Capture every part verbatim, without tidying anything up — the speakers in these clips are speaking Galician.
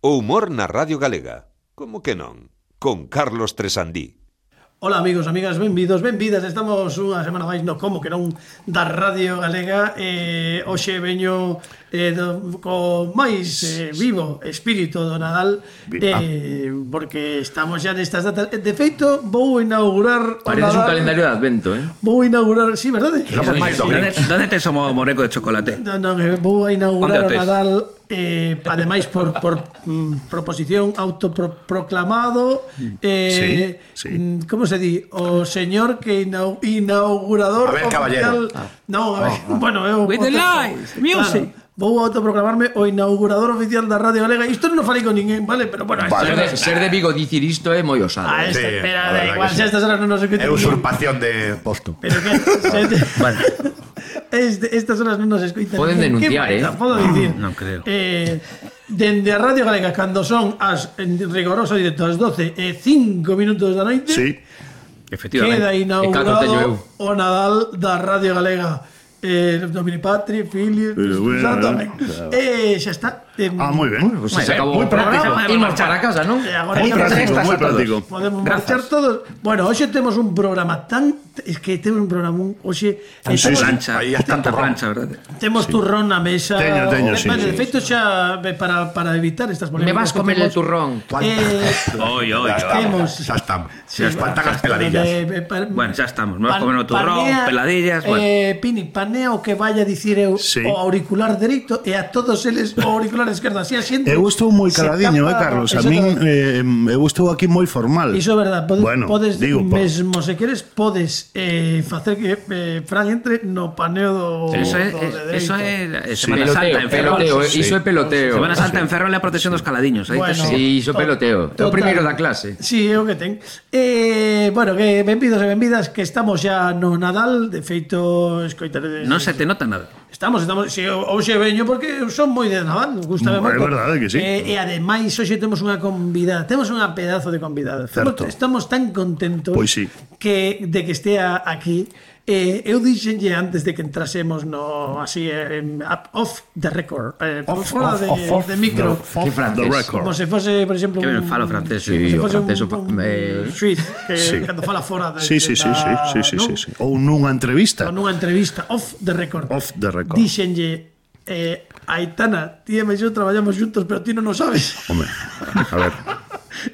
O humor na Radio Galega. Como que non? Con Carlos Tresandí. Ola amigos, amigas, benvidos, benvidas. Estamos unha semana máis no Como que non da Radio Galega. eh, Hoxe veño eh, do, co máis eh, vivo espírito do Nadal, eh, porque estamos xa nestas datas. De feito, vou inaugurar Pareces un calendario de Advento, eh? Vou inaugurar, sí, verdade? Somos máis do Grinch. ¿Dónde te somos moreco de chocolate? Non, non, eh, vou a inaugurar o Onde o tes? Nadal, eh, ademais por, por mm, proposición autoproclamado, eh, Sí, sí. mm, como se di? O señor que inau inaugurador A ver, caballero. oficial. No, a ver, bueno, eu With the lights, music. Vou a autoproclamarme o inaugurador oficial da Radio Galega. Isto non falei con ninguén, vale? Pero bueno, Vale. Ser de, ser de Vigo dicir isto é moi osado. a esta, Sí, espera, la da verdad igual, que xa sí. estas horas non nos escoitan. É usurpación de posto. Pero que se, Vale. este, estas horas non nos escoitan. Poden ninguén. denunciar, Que eh? baita, Podo dicir. Non creo. Eh, dende a Radio Galega, cando son as en rigoroso directo as doce e cinco minutos da noite, Sí. Efectivamente. queda E catro teño eu. inaugurado o Nadal da Radio Galega. Eh, Domini Patri, Filio, Pero bueno, Santo, ¿no? amén. Eh, xa está. Eh, Ah, moi ben. Pues Moi se ben, acabou moi o programa. práctico. Imos para casa, non? E agora Moi xa práctico, podemos- moi práctico. Podemos Grazas. marchar todos. Bueno, hoxe temos un programa tan... Es que temos un programa hoxe... eh, Sí, temos- Plancha, Aí está tanta turrón. plancha, verdade? Temos turrón na mesa. Teño, teño, Eh, sí, vale, sí, de feito xa eh, para, para evitar estas Me polémicas vas que comer el temos, turrón. Eh, Oi, oi, Ya oi. Temos. estamos. Xa estamos. sí, Xa faltan as peladillas. eh, eh, pa- Bueno, xa estamos. Vamos pan- comer o turrón, panea, peladillas, bueno. eh, Pini, panea o que vaya a dicir eu Sí. o auricular dereito e a todos eles o auricular esquerdo. Así a xente Eu estou moi se caladiño, eh, tapa- Carlos. A Eso min é- eh, eu estou aquí moi formal. Iso é verdad, podes, Bueno, podes digo, po- mesmo se queres podes eh, facer que eh, Fran entre no paneo do, Eso é, do de eso dereito. é Semana Santa Peloteo, en Ferrol. peloteo, Sí. iso é peloteo. Semana Santa en Ferrol é a protección dos caladiños. Aí Bueno. tes- Si, iso é peloteo. É o Total. primeiro da clase. Sí, é o que ten. Eh, bueno, que benvidos e benvidas, que estamos xa no Nadal, de feito, escoitaredes. Non se te nota nada. Estamos, estamos, si hoxe veño porque eu son moi de Nadal, gustame É moito. verdade que sí. Eh, e ademais hoxe temos unha convidada, temos unha pedazo de convidada. Estamos, Certo. estamos tan contentos Pois sí. que de que estea aquí. Eh, eu dixenlle antes de que entrasemos no así eh, up, off the record, eh, por Off, fora off, de, off, off de micro. the- Que off francés. the record. Como se fose, por exemplo, Que ben un- falo francés. Sí, se o fose francés, o un, pa- un eh, suiz que sí. cando fala fora de, Sí, sí, sí, sí, da- sí, sí, non? sí, sí. Ou nunha entrevista. Con unha entrevista off the record. Off the record. Dixenlle, eh, Aitana, ti e eu traballamos juntos, pero ti non o sabes. Home, a ver.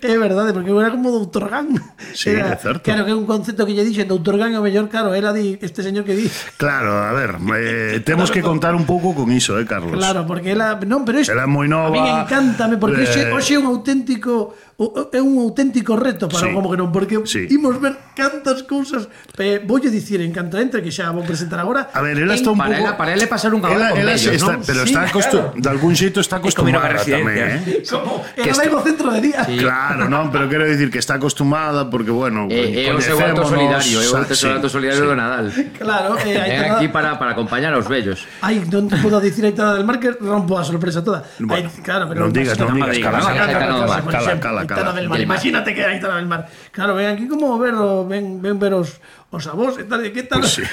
É verdade, porque eu era como doutor Gan. Sí, Era, é certo. Claro, que é un concepto que lle dixen doutor Gan é o mellor, claro, era di, este señor que di. Claro, a ver, eh, temos que contar un pouco con iso, eh, Carlos. Claro, porque ela, non, pero isto Ela é moi nova. A mí encántame porque hoxe, Eh, hoxe é un auténtico o- é un auténtico reto para Sí. o como que non, porque Sí. imos ver cantas cousas. Eh, voulle dicir en canto entre que xa vou presentar agora. A ver, ela está un Para pouco... ela, para ela é pasar un Ela, cabalo con ela vellos, está, non? pero Sí, está acostu- de algún xeito está como ir a acostumada residencia. tamén, eh? Como ela vai no centro de día. Claro, non, pero quero dicir que está acostumada porque, bueno, É, é o seu acto coñecémonos, solidario, é o sa- seu sí, acto solidario do Nadal. Claro, eh, É Aitana- aquí para, para acompañar aos vellos. Ai, non te podo dicir a Aitana del Mar que rompo a sorpresa toda. Bueno, Ai, claro, pero non digas, non non digas, digas, cala, non cala, digas, cala, Aitana del Mar, por cala, exemplo, cala, Aitana cala. del Mar. Del Mar. Imagínate que é Aitana del Mar. Claro, ven aquí como ver o, ven, ven ver os, os avós e tal, e que tal? Pues sí.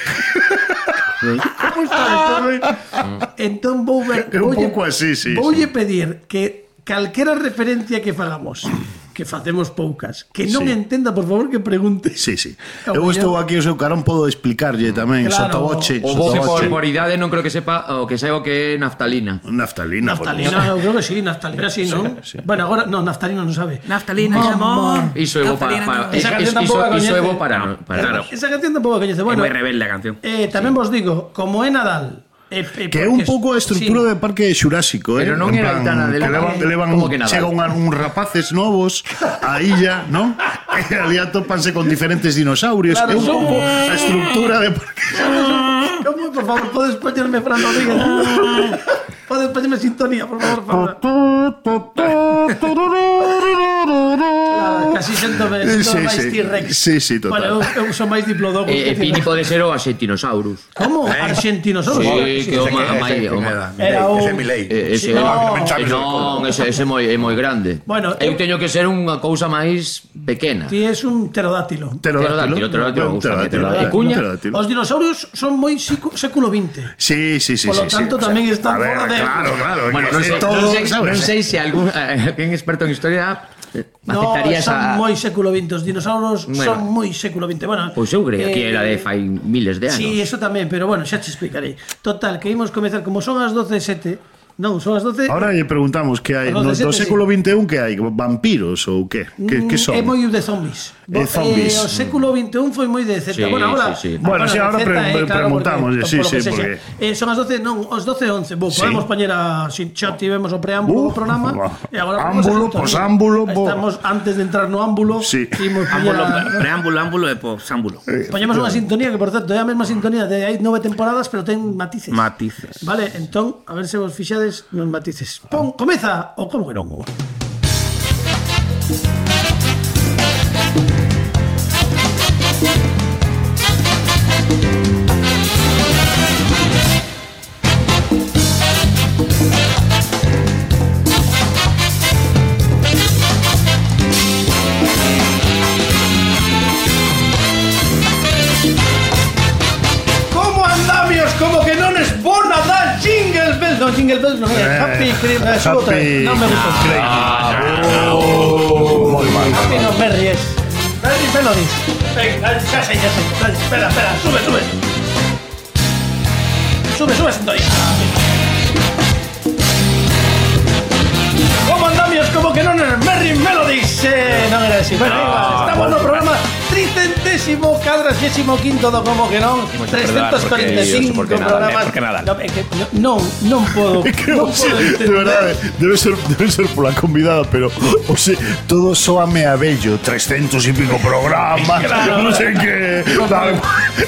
Como está esto? Entón vou ver, É un voulle- pouco así, sí, Voulle sí. pedir que calquera referencia que fagamos, que facemos poucas, que non Sí. entenda, por favor, que pregunte. Sí, sí. O Eu mellor- estou aquí o seu carón, podo explicarlle tamén, Claro. sotoboche, O bo que por, sotoboche. por idade non creo que sepa o que saiba o que é naftalina. Naftalina. por Naftalina, eu creo que sí, naftalina sí, non? sí. Bueno, agora, no, naftalina non sabe. Naftalina, Mamá. amor. Iso é bo para, para Esa iso, canción iso, tampouco a iso é bo coñece. para, para Claro. Esa canción tampouco a coñece. É Bueno, moi rebelde a canción. eh, tamén vos digo, como é Nadal, eh, eh, Que é un pouco a estrutura de Parque Xurásico, eh? Pero non En era Aitana del que Mar, levan, eh, que levan como que nada. chega un, un rapaces novos a illa, non? E ali atópanse con diferentes dinosaurios. Claro, é un son- pouco a estructura de Parque. Como, por favor, podes poñerme Fran Rodríguez? Podes poñerme sintonía, por favor, Fran. Claro, Casi séntome, séntome máis T-Rex. Sí, sí, total. Bueno, eu, eu son máis diplodocus. E, e Pini pode ser o Argentinosaurus. Como? Argentinosaurus? Sí, que o ma- mai... o ma- Era o... Ese é Milei. Eh, Ese, No. eh, non, ese, ese é moi, é moi grande. Bueno, eu eu- teño que ser unha cousa máis pequena. Ti es un pterodátilo. Pterodátilo, pterodátilo, me gusta, Pterodátilo, pterodátilo. E cuña? pterodátilo. Os dinosaurios son moi sicu- século vinte. Sí, sí, sí. Por lo sí, tanto, sí. tamén O sea, están a ver, fora de- Claro, claro. Bueno, que non es sei, todo, non sei, ¿sabes? non sei se algún eh, alguén experto en historia eh, No, aceptaría son esa... moi século vinte. Os dinosaurios Bueno. son moi século vinte. Bueno, Pois eu creía que eh, era de fai miles de anos. Sí, eso tamén, pero bueno, xa te explicarei. Total, que imos comezar, como son as doce e sete. Non, son as doce. Ahora lle preguntamos que hai Los no, de do sete, século veintiuno que hai, vampiros ou que? Que, que son? É moi de zombies. Eh, zombies. Eh, o século veintiuno foi moi de Z. Sí, bueno, ahora, sí, sí. Bueno, sí, ahora de Z, pre- eh, pre- preguntamos, porque- sí, por lo sí, que sexa. porque- Eh, son as doce, non, os doce e once. Bo, Sí. podemos poñer a... Si xa tivemos o preámbulo do Uh, programa. va. E agora vamos a Ámbulo, sintonía. posámbulo, bo. Estamos, antes de entrar no ámbulo, Sí. imos poñer Ámbulo, a... preámbulo, ámbulo e posámbulo. Poñemos unha sintonía que, por certo, é a mesma sintonía de hai nove temporadas, pero ten matices. Matices. Vale, entón, a ver se vos fixades nos matices. Pon, comeza o como que non. Como andamios, como que non es bo Nadal, Jingle Bells. Non, Jingle Bells non é, Eh, Happy Christmas. Eh, outra vez. Happy- Non me gusta. Moi mal. Happy no Merry es. Merry Melodies. Venga, xa sei, xa sei. Dale, espera, espera, sube, sube. Sube, sube, sintonía. Como andamios, como que non é Merry Melodies. Eh, non era así. Bueno, igual, estamos no programa tricentésimo, cuadragésimo quinto do como que non, trescentos cuarenta e cinco porque Nadal, programas. eh, porque Nadal. No, é que non, non podo, non podo de entender. verdade, debe ser, debe ser pola convidada, pero o sea, todo soame a bello, trescentos e pico programas, Claro. non sei que, tal,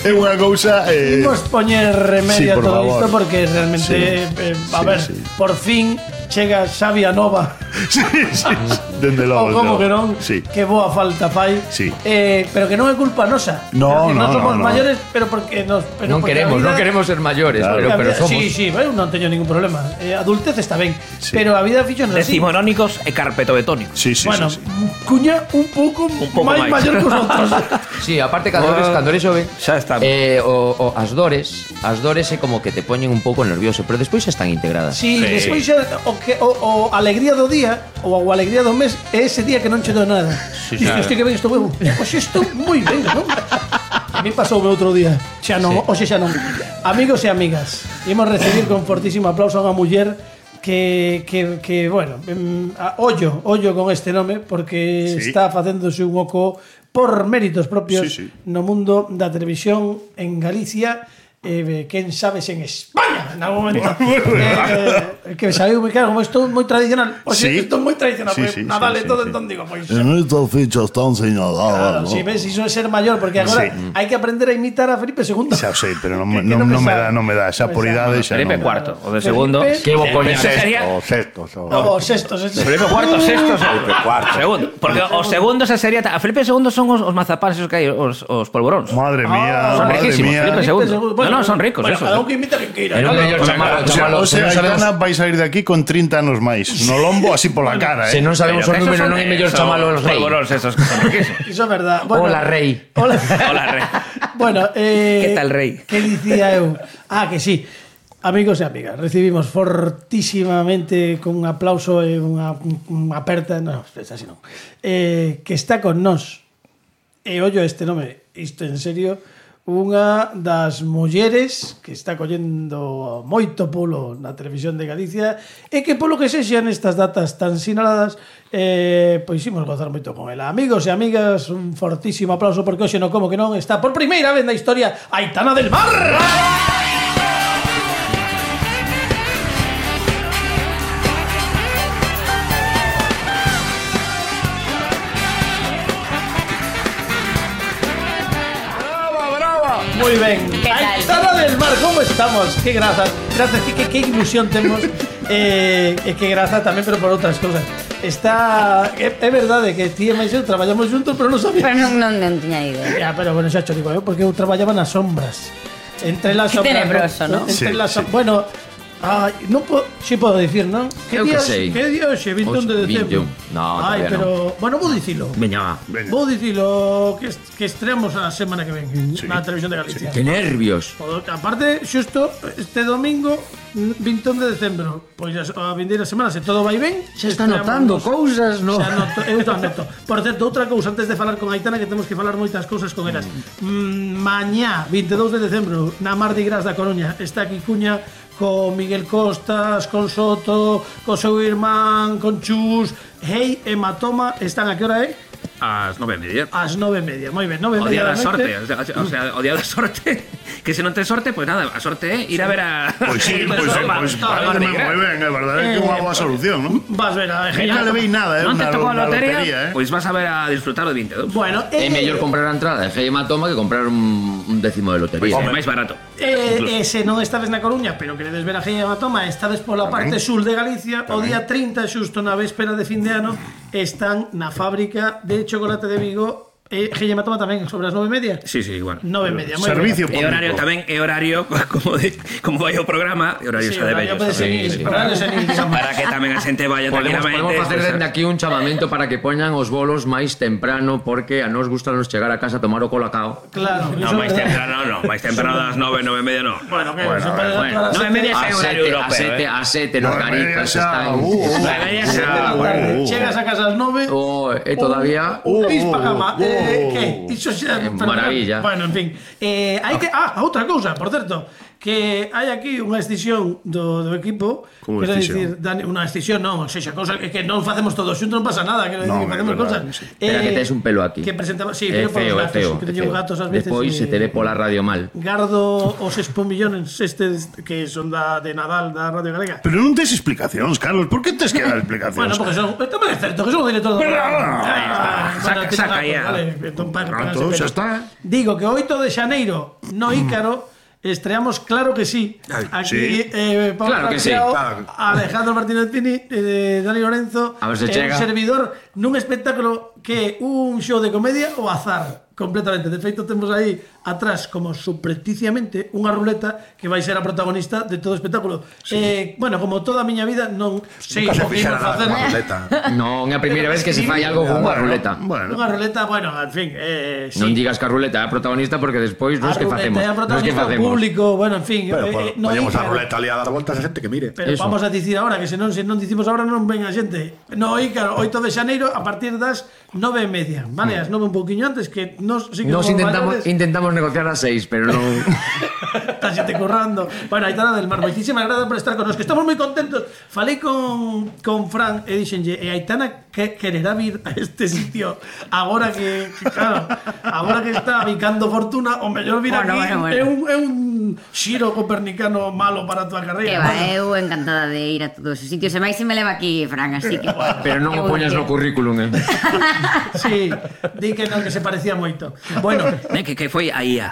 é unha cousa eh, Imos poñer remedio Sí, a por todo favor. isto porque realmente, eh, a sí, ver, sí. por fin chega Xavi a Nova. sí, sí, dende O logo. como no. que non, Sí. que boa falta fai. Sí. Eh, pero que non é culpa nosa. No, Porque no, non somos no, no. maiores, pero porque nos pero Non porque a queremos, vida- non queremos ser maiores, Claro. pero, a pero vida- somos. Sí, sí, eu non teño ningún problema. Eh, adultez está ben, pero a vida fixonos así. Decimonónicos e carpetobetónicos. Sí, sí, Bueno, sí, sí. cuña un pouco, Un pouco máis máis. maior que os outros. Sí, aparte cando eres, Oh, cando eres xoven, xa está. eh, o, o, as dores, as dores é como que te poñen un pouco nervioso, pero despois xa están integradas. Sí, despois xa, o que o, o alegría do día ou a alegría do mes é ese día que non che dou nada. Sí, Dices, hostia, que ben estou eu. Hoxe estou moi ben, non? A mí pasou o outro día. Xa non, hoxe xa non. Amigos e amigas, imos recibir con fortísimo aplauso a unha muller que, que, que bueno, em, a, ollo, ollo con este nome porque Sí. está facéndose un oco por méritos propios Sí, sí. no mundo da televisión en Galicia. Eh, quen sabes en España en algún momento eh, que sabeu moi claro como estou moi tradicional o sea, Sí. estou moi tradicional Sí, pues, sí, Nadal sí, e todo sí, entón digo pois En estas fichas están claro, señaladas, si ves iso é ser maior porque agora Sí. hai que aprender a imitar a Felipe segundo Xa o sei, pero non, Que- me- que non, non me non me sabe. dá, non me dá, xa por Me sabe. idade xa Felipe non. cuarto, o de Felipe- segundo. Que bo coña. Ese sería O sexto, o o sexto, sexto. Felipe cuarto, sexto, Felipe cuarto. segundo. Porque o segundo se sería a Felipe segundo son os, os mazapanes esos que hai, os, os polvoróns. Madre mía, son madre riquísimos, mía. Felipe segundo. No, no, son ricos bueno, esos. cada un que imita que queira Era un ¿no? mellor chamalo, O sea, chamalo, o se sea, non sabemos, Aitana vai sair de aquí con treinta anos máis. No lombo, así pola cara, se eh. non sabemos o Pero que esos número, son- non é mellor son chamalo os rei. polvoróns esos que son riquísimos. Iso é verdad. Bueno, Hola, rei. Hola. Hola, rei. Bueno, eh, ¿Qué tal, rei? Que dicía eu? Ah, que sí. Amigos e amigas, recibimos fortísimamente con un aplauso e unha, unha aperta, non, así non. Eh, que está con nós. E ollo este nome, isto en serio, unha das mulleres que está collendo moito pulo na televisión de Galicia e que polo que sexan estas datas tan sinaladas eh, pois imos gozar moito con ela. Amigos e amigas, un fortísimo aplauso porque hoxe no como que non está por primeira vez na historia Aitana del Mar. Muy ben. ¿Qué tal? Aitana del Mar, como estamos? Que graza, graza, que, que, que ilusión temos eh, e que graza tamén, pero por outras cousas. está... É, é verdade que ti e máis eu traballamos juntos, pero non sabía. Pero non, non, non tiña idea. Ya, pero bueno, xa cho digo eu, porque eu traballaba nas sombras. Entre las Qué sombras. tenebroso, ¿no? Entre Sí, las sí. som- Bueno, ay, non po, si podo dicir, non? Eu que día, sei. que día hoxe, vinte e un de Hoxe, decembro. vinte e un. No, Ai, todavía pero, bueno, vou dicilo. Veña, va. Vou dicilo que, est- que estreamos a semana que ven na televisión de Galicia. Que nervios. Podo- Aparte, xusto este domingo vinte e un de decembro. Pois a, a vindeira semana, se todo vai ben, Xa está estreamos notando nos- cousas, no? Xa noto, eu xa noto. Por certo, outra cousa antes de falar con Aitana, que temos que falar moitas cousas con elas. Mm, mañá, vinte e dous de decembro, na Mardi Gras da Coruña, está aquí Cuña con Miguel Costas, con Soto, con seu irmán, con Chus, Hey, Hematoma, están a que hora é? Ás nove e media. Ás nove e media, moi ben, nove e O día media da da sorte, noite. o sea, o sea, o día da sorte, que se non ten sorte, pois nada, a sorte é ir a ver a... Pois sí, pois Pero, pois está, pareceme Mardi Gras. moi ben, é verdade que é unha boa solución, non? Vas ver a Nunca le veí nada, eh, Non te na- tocou a na lotería, lotería, eh. pois vas a ver a disfrutar o vinte e dous. Bueno, É mellor comprar a entrada de G Hematoma que comprar un, un décimo de lotería. É máis barato. E, e se non estades na Coruña, pero queredes ver a Gei Hematoma, estades pola parte sur de Galicia, o día trinta, xusto na véspera de fin de ano, están na fábrica de chocolate de Vigo. E Gei Hematoma tamén, sobre as nove e media. Sí, sí, igual. Nove e media, moi Servicio ben. E horario público. tamén, é horario como de, como vai o programa, e horario Sí, xa de horario vellos. pode ser, Sí, sí. horario senil, digamos. Para que tamén a xente vaya Podemos, tranquilamente. podemos facer pues, dende aquí un chamamento para que poñan os bolos máis temprano, porque a nos gusta nos chegar a casa a tomar o colacao. Claro, No, iso é máis verdade. temprano, no, máis temprano das nove, nove e media, no. Bueno, que Bueno, se pode bueno, dar a las nove e media sete. A é horario sete, a europeo, sete, eh. a sete nos Nueve e media garicas xa, están... uh, uh. Nueve e media xa, Da bueno. tarde. uh. Chegas a casa ás nove. Oh, e todavía... Un pis pa cama. oh, Eh, oh, que? oh. Iso xa... Eh, pero- maravilla. Bueno, en fin. Eh, hai que... Ah, outra cousa, por certo. Que hai aquí unha escisión do, do equipo. Como Quero escisión? dicir, Dani, unha escisión non, sexa, cousa é que non facemos todos xuntos, non pasa nada, quero dicir Non, que é facemos verdade, cousas. sí. Espera que tes un pelo aquí. Que presentamos, sí, É pero feo, polos é feo, gatos, que é teño feo. gatos ás veces. Despois se te ve pola radio mal. Gardo os espumillones estes que son da de Nadal da Radio Galega. Pero non tes explicacións, Carlos, por que tes que dar explicacións? Bueno, porque son, tamén é certo que son o director do programa. ah, Bueno, saca- tiene saca gatos, ya. vale, entón, pa- Pronto, pónganse xa pelo. está. Digo que o oito de xaneiro no Ícaro estreamos Claro que sí. Ay, Aquí sí. eh, Pablo Claro que sí. García, Claro. Alejandro Martínez Pini, eh, Dani Lorenzo, A ver se e un chega. servidor nun espectáculo que é un show de comedia o azar. Completamente. De feito, temos aí atrás, como subrepticiamente, unha ruleta que vai ser a protagonista de todo o espectáculo. Eh, bueno, como toda a miña vida, non sei Nunca se o que imos fixera nada facer. con a ruleta. Non, é a primeira vez que se fai algo con unha ruleta. Bueno, Unha ruleta, bueno, en fin, eh, sí. Non digas que a ruleta é a protagonista porque despois A nos que ruleta facemos. é a Nos que protagonista, o facemos. público, bueno, en fin. Pero eh, po- eh, no poñemos a Ícaro. ruleta ali a dar voltas a xente que mire. Pero Eso. vamos a dicir agora que se non se non dicimos agora non ven a xente. No Ícaro, oito de xaneiro a partir das nove e media, vale? As nove un pouquiño antes que nos sí que Nos somos intentamos, maiores. intentamos negociar a seis, pero non... Está xente currando. Bueno, Aitana del Mar, moitísimas grazas por estar con nos, que estamos moi contentos. Falei con, con Fran e dixenlle, e Aitana que quererá vir a este sitio agora que, que claro, agora que está bicando fortuna, o mellor vir Bueno, aquí bueno, bueno. é un é un xiro copernicano malo para a tua Que carreira. va, eu encantada de ir a todos os sitios. E máis se me leva aquí, Fran, así que... Pero non o poñas no currículum, eh? Sí, di que non, que se parecía moito. Bueno, Eh, que, que foi a I A.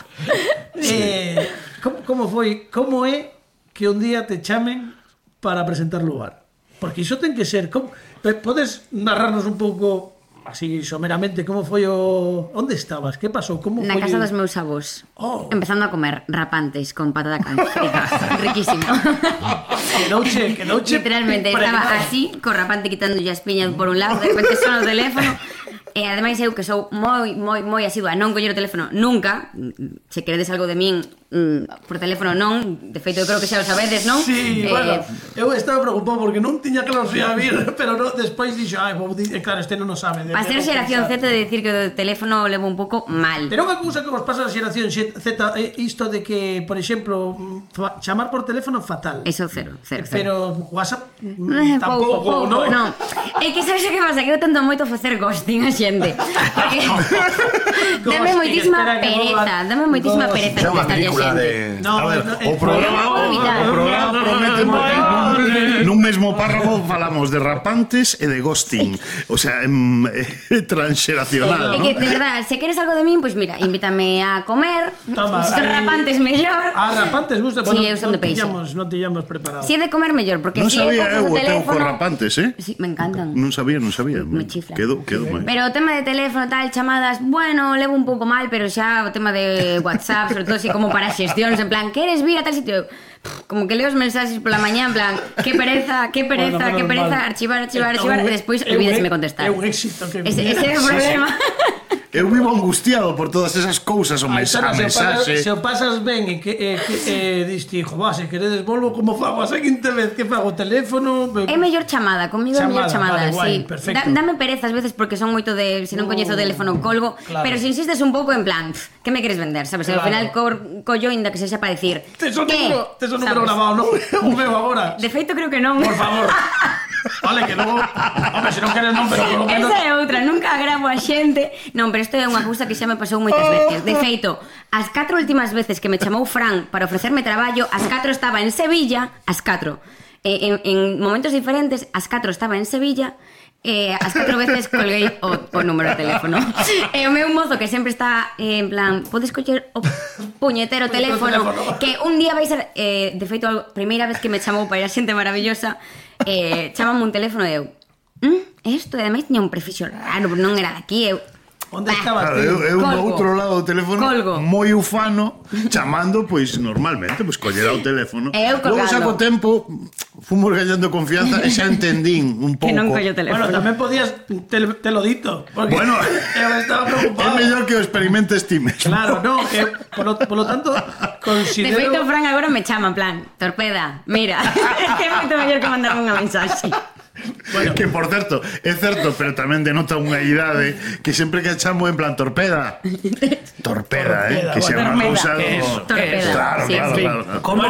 eh, como, como foi, como é que un día te chamen para presentar lugar? Porque iso ten que ser, como, pe- podes narrarnos un pouco así someramente como foi o onde estabas? Que pasou? Como Na foi? casa dos meus avós. Oh. Empezando a comer rapantes con patata frita. Riquísimo. Quedouche, quedouche Literalmente, estaba impregnado. así, co rapante quitándolle as piñas por un lado, de repente sona o teléfono. E ademais eu que sou moi, moi, moi asidua a non coller o teléfono nunca. Se queredes algo de min mm, por teléfono non. De feito, eu creo que xa o sabedes, non? Sí, Eh, bueno, eu estaba preocupado porque non tiña claro se ia vir, pero no, despois dixo, ai, vou di- eh, claro, este non o sabe. Para ser xeración Z, de decir que o teléfono o levo un pouco mal. Pero unha cousa que vos pasa a xeración Z é isto de que, por exemplo, mm, fa- chamar por teléfono fatal. Eso cero, cero, cero. Pero WhatsApp Eh, mm, tampouco, pouco, pouco, non? non. É que sabes o que pasa? Que eu tento moito facer ghosting a xente. Porque dame Ghosting, moitísima espera que pereza, volva- dame moitísima Ghosting. pereza Chama contestarlle a loucura xente. de... No, A ver, no, o eh, programa, non podo evitar. o programa promete moi. Nun mesmo párrafo falamos de rapantes e de ghosting. O sea, em, eh, transxeracional, É ¿no? que, de verdad, se queres algo de min, pois mira, invítame a comer. Toma, Se son aí- rapantes, mellor. Ah, rapantes gusta, Sí, bueno, eu son de non peixe. tiñamos, non tiñamos preparado. Si é de comer, mellor, porque Non si é sabía coges eu o o teu teléfono... con rapantes, eh? Sí, me encantan. Non sabía, non sabía. Me chifla. Quedo, quedo moi. Pero o tema de teléfono, tal, chamadas, bueno, levo un pouco mal, pero xa o tema de WhatsApp, sobre todo así como para xestións, en plan, queres vir a tal sitio? Pff, como que leo os mensaxes pola mañá, en plan, que pereza, que pereza, Bueno, que menos pereza, mal. archivar, archivar, É archivar, un- e despois é un- olvídesme contestar. É un éxito que Ese, ese é o problema. Eu vivo angustiado por todas esas cousas, o Ai, mensa- Tana, a se, o pasas, mensaxe. se o pasas ben e que e, que e, diste, hijo, va, se queredes volvo como fago a seguinte vez que fago o teléfono. É mellor chamada, comigo é mellor Chamada, chamada, vale, guai, sí. perfecto. Da, dame pereza ás veces porque son moito de, se non coñezo o teléfono colgo, Claro. pero se insistes un pouco en plan, pff, que me queres vender, sabes? Claro. Ao final co, collo inda que sexa para decir, Tes o ¿qué? número, tes o número Sabes? grabado, non? O meu agora. De feito creo que non. Por favor. Vale, que logo, hombre, se non queres non, pero polo menos Esa é outra, nunca gravo a xente. Non, pero isto é unha cousa que xa me pasou moitas veces. De feito, as catro últimas veces que me chamou Fran para ofrecerme traballo, as catro estaba en Sevilla, as catro. Eh, en, en momentos diferentes, as catro estaba en Sevilla, eh, as catro veces colguei o, o número de teléfono. E o meu mozo que sempre está eh, en plan, podes coller o puñetero teléfono, que un día vai ser, eh, de feito, a primeira vez que me chamou para ir a xente maravillosa, eh, chamame un teléfono e eu, mm, isto, e ademais tiña un prefixo raro, non era de aquí, eu... onde Bah. estabas Claro, ti? eu, eu do Colgo. outro lado do teléfono Colgo. moi ufano, chamando, pois normalmente, pois collerá o teléfono. E eu Logo colgando. xa co tempo fomos gañando confianza e xa entendín un pouco. Que non collo o teléfono. Bueno, tamén podías te, te lo dito, porque Bueno, eu estaba É preocupado. mellor que o experimentes ti mesmo. Claro, no, que polo, polo tanto De considero feito, Fran agora me chama en plan, torpeda, mira, é que é moito mellor que mandarme unha mensaxe. Bueno, que por certo, é certo, pero tamén denota unha idade que sempre que chamo en plan torpeda. Torpeda, eh, Torpeda, que xa é unha bueno. cousa Que como- eso, Torpeda. Claro, Sí, claro, sí. claro. Como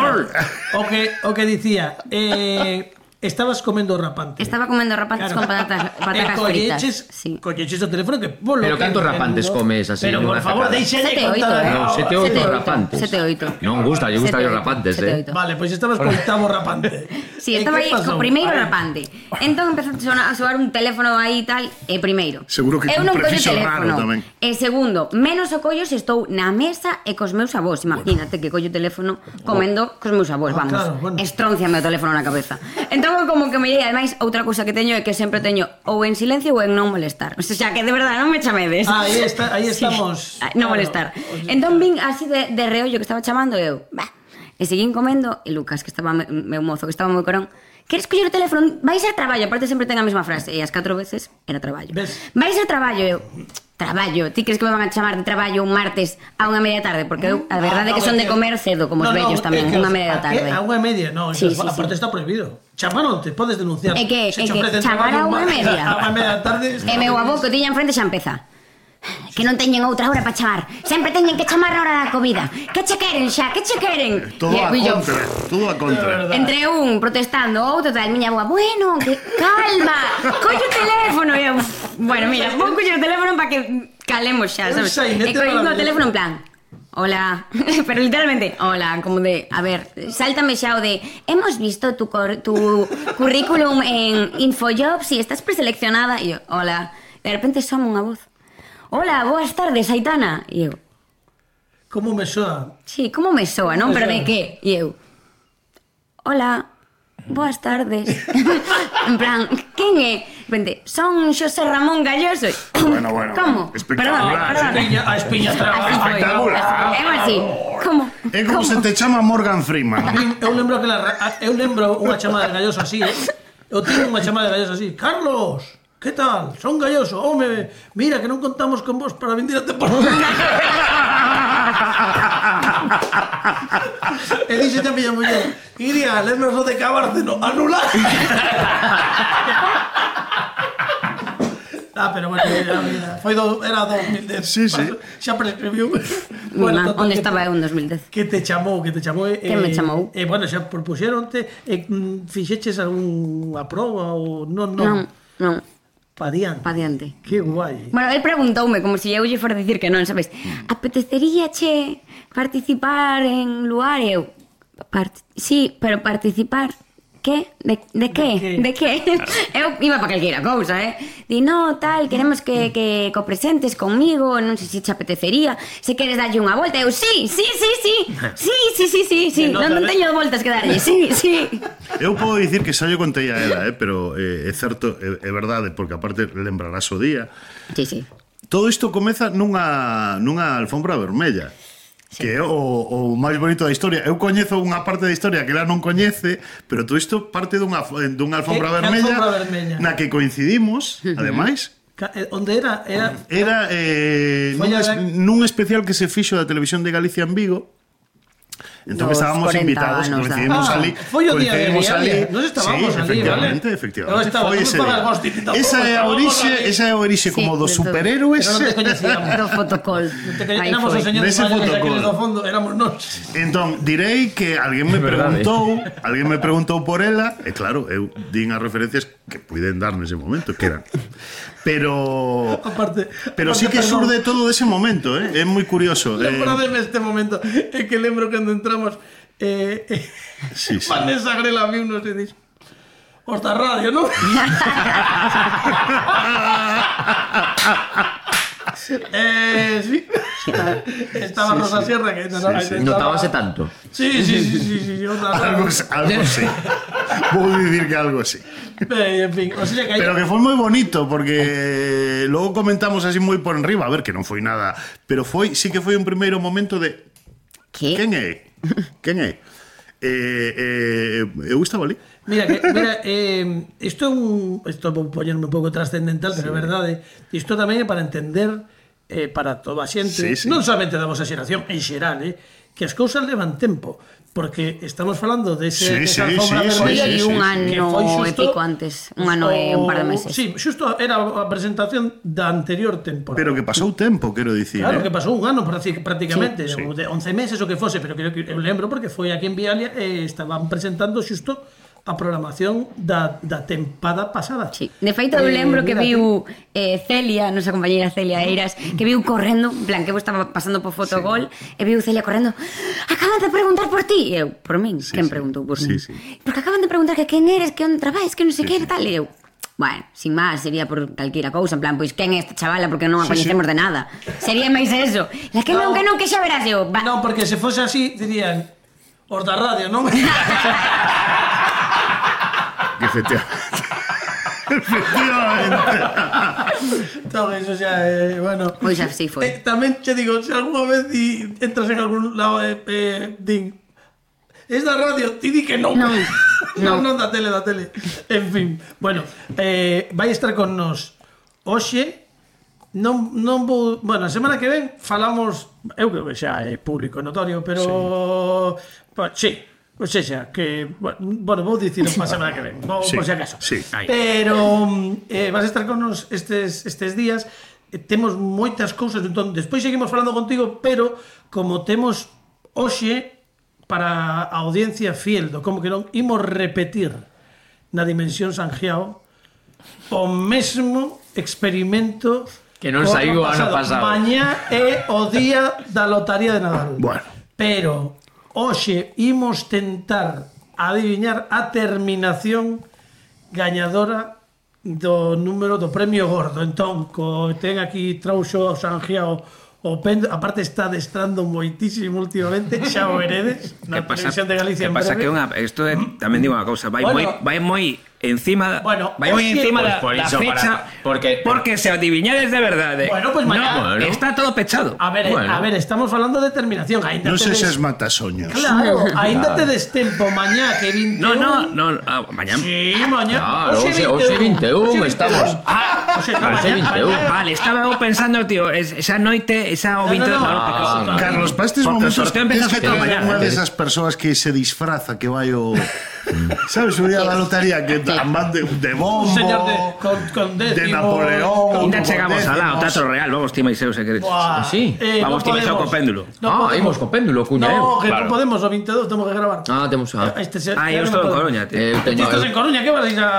o que o que dicía, eh, estabas comendo rapante. Estaba comendo rapantes con patatas, E patacas fritas. colleches, Sí. colleches o teléfono que polo Pero que cantos entendo- rapantes comes así Pero por nunha favor, tacada? deixalle Sete, oito, contar. eh. No, sete, oito Sete, oito. rapantes. Sete, oito. Non gusta, lle gustan Sete, os oito. rapantes, Sete, eh. oito. Vale, pois estabas co oitavo rapante. Sí, E estaba que aí co pasou? primeiro Ai. rapante. Entón empezou a sonar, a soar un teléfono aí e tal, e primeiro. Seguro que eu con non collo prefixo teléfono. raro tamén. E segundo, menos o collo se estou na mesa e cos meus avós. Imagínate que collo o teléfono comendo cos meus avós, Ah, vamos. claro, bueno. Estronciame o teléfono na cabeza. Entón como que me lleguei, ademais, outra cousa que teño é que sempre teño ou en silencio ou en non molestar. O sea, que de verdade non me chamedes. Ah, aí está, aí Sí. estamos. Ah, non Claro. molestar. Entón vin así de, de reollo que estaba chamando e eu, bah, e seguín comendo e Lucas, que estaba me- meu mozo, que estaba moi corón, queres coller o teléfono? Vais a traballo, aparte sempre ten a mesma frase, e as catro veces era traballo. Ves? Vais a traballo, e eu, traballo, ti crees que me van a chamar de traballo un martes a unha media tarde? Porque eu, a verdade é que son de comer cedo, como os vellos tamén, unha media da tarde. A unha media, no, Sí, sí, sí, aparte sí. está prohibido. Chamaronte, podes denunciar. É que, Se é che que ofrecen chamar a traballo unha un- media. A unha media da tarde. está E meu prohibido. avó que o tiña enfrente xa empeza. Que non teñen outra hora para chamar. Sempre teñen que chamar a hora da comida. Que che queren xa? Que che queren? Todo E a eu, yo, contra, todo a contra. entre un protestando, outro tal, miña boa, bueno, que calma, collo o teléfono. E eu, bueno, mira, vou coller o teléfono para que calemos xa, Un sabes? sainete E collín o maravilloso. teléfono en plan, hola, pero literalmente, hola, como de, a ver, sáltame xa o de, hemos visto tu, cor, tu currículum en Infojobs y estás preseleccionada. E eu, hola, de repente soma unha voz. Hola, boas tardes, Aitana. E eu, Como me soa? sí, como me soa, non? Me Pero soa. de que? E eu, hola, boas tardes. En plan, quen é? De repente, son Xosé Ramón Galloso. Bueno, bueno, Como? espectacular. Perdón, perdón. Espiña, a espiña Así traba. foi. Espectacular. É así. Como? É como se te chama Morgan Freeman. Eu lembro que la, eu lembro unha chamada de Galloso así, eh? Eu tiño unha chamada de Galloso así. Carlos, que tal? Son Galloso. Home, mira que non contamos con vos para vindir a temporada. E dixe a miña muller, iría, lembras o de Cabárceno, anular. Ah, pero bueno, mira, mira, foi do, era dos mil dez. Sí, sí. Mi Xa prescribiu. má, total, onde que- estaba eu en dos mil dez? Que te chamou, que te chamou e, Que me chamou? E bueno, xa propuxeronte e mm, fixeches algunha proba ou non, non. Non, non. Pa diante. Pa diante. Que guai. Bueno, él preguntoume, como se si eu lle fora a dicir que non, sabes? Apetecería che participar en lugar? E eu, part... sí, pero participar... Que? De, de que? De que? Eu iba para calquera cousa, eh? Di, no, tal, queremos que, que copresentes conmigo, non sei se te apetecería, se queres darlle unha volta. Eu, sí, sí, sí, sí, sí, sí, sí, sí, sí, non, non teño voltas que darlle, sí, sí. Eu podo dicir que xa lle contei a ela, eh? Pero eh, é certo, é, é verdade, porque aparte lembrarás o día. Sí, sí. Todo isto comeza nunha, nunha alfombra vermella. Sí. Que é o, o máis bonito da historia. Eu coñezo unha parte da historia que ela non coñece, pero todo isto parte dunha, dunha alfombra, que, vermella, alfombra vermella na que coincidimos, uh-huh. ademais. Onde era? Era, era eh, nun, es, nun especial que se fixo da Televisión de Galicia en Vigo. Entón estábamos invitados, coincidimos ah, ali. Foi o día de Vialia. Nos estábamos sí, ali, efectivamente, vale? efectivamente. Estaba, foi ese esa é a orixe, esa é a orixe como dos superhéroes. Pero non te coñecíamos. Do fotocall. Éramos os señores maiores do fondo, éramos nós. Entón, direi que alguén me preguntou, alguén me preguntou por ela, e claro, eu din as referencias que puiden dar nese momento, que eran. Pero aparte, pero aparte, sí que perdón, surde todo dese momento, eh? É moi curioso. Lembrademe este momento, é que lembro cando entramos eh, eh sí, sí. Vanessa Grela viu nos e dix os da radio, non? eh, sí. Estaba sí, Rosa sí. Sierra que no, sí, sí. Notábase tanto. Sí, sí, sí, sí, sí, sí. Algo, algo sí. Vou dicir que algo sí. Eh, en fin, o sea que hay... Pero que foi moi bonito porque logo comentamos así moi por enriba, a ver que non foi nada, pero foi sí que foi un primeiro momento de ¿Qué? Quen é? Quen é? Eh, eh, eu estaba ali. Mira, que, mira eh, isto é un... Isto vou poñerme un pouco trascendental, pero é sí. verdade. Isto tamén é para entender eh, para toda a xente, sí, sí. non somente da vosa xeración, en xeral, eh, que as cousas levan tempo. Porque estamos falando de ese, sí, esa alfombra sí, vermella sí, sí, un ano e pico antes, un ano e un par de meses. Sí, xusto era a presentación da anterior temporada. Pero que pasou tempo, quero dicir. Claro, eh? que pasou un ano prácticamente, sí, sí. de once meses o que fose, pero creo que eu lembro porque foi aquí en Vialia e eh, estaban presentando xusto a programación da, da tempada pasada. Sí. De feito, eu lembro eh, que viu eh, Celia, nosa compañeira Celia Eiras, que viu correndo, en plan, que eu estaba pasando por Fotogol, sí. e viu Celia correndo, acaban de preguntar por ti. E eu, por min? Sí, quen sí. preguntou por sí, min? Sí. Porque acaban de preguntar que quen eres, que onde traballas, que non sei sí, que, sí. tal. E eu, bueno, sin máis, sería por calquera cousa, en plan, pois quen é esta chavala porque non a coñecemos sí, sí. de nada. Sería máis eso. La que non, no, que non, que xa verás eu. Va. Non, porque se fose así, dirían, os da radio, non? Efectivamente. Efectivamente. Todo eso xa, eh, bueno. Pois así foi. Eh, tamén che digo, se algunha vez di, entras en algún lado eh, eh, din, es da radio, ti di que non. Non, non, non da tele, da tele. En fin, bueno, eh, vai estar con nos hoxe. Non, non vou... Bueno, a semana que ven falamos... Eu creo que xa é público notorio, pero... Sí, pues, sí. O sea, que, bueno, vou dicir para a semana que ven, vou, sí, por si acaso. Sí. Pero eh, vas a estar con nos estes, estes días, eh, temos moitas cousas, entón, despois seguimos falando contigo, pero como temos hoxe para a audiencia fiel do como que non, imos repetir na Dimensión Sangiao o mesmo experimento que non saiu o ano pasado. Mañá é o día da lotaría de Nadal. Bueno. Pero hoxe imos tentar adiviñar a terminación gañadora do número do premio gordo. Entón, co ten aquí trouxo o Sangiao o pen, aparte está adestrando moitísimo últimamente, xa o veredes na Televisión de Galicia en breve. Que pasa que unha, isto é, tamén digo unha cousa, vai moi bueno, vai moi encima, bueno, vai moi encima da, pues da fecha, para, porque porque se adiviñades de verdade. Bueno, pues mañana, no, bueno, está todo pechado. A ver, bueno. a ver, estamos falando de terminación, ainda non te se des... ses matasoños. Claro, ainda te des tempo mañá que vinte e un. No, no, no, ah, mañá. Sí, mañá. Claro, hoxe vinte e un estamos. Ah, hoxe no, mañá, vinte e un. Vale, estaba eu pensando, tío, esa noite, esa o vinte no, no, no, no, no. Carlos, para estes momentos es que unha desas persoas que se disfraza, que vai o Sabes, un día da lotería que van de, de bombo, Un señor de, con, con décimo, de Napoleón. Ainda chegamos alá, o Teatro Real, vamos, ti máis eu, se queredes. Buah, Sí. eh, Vamos, no ti máis eu podemos. co péndulo. No Ah, podemos. imos co péndulo, cuña, No, eu. que claro. non podemos, o veintidós temos que gravar. Ah, temos a... Este se, Ah, que eu non estou en podemos. Coruña, tío. Eu Ti teño... estás en Coruña, que vas a ir a...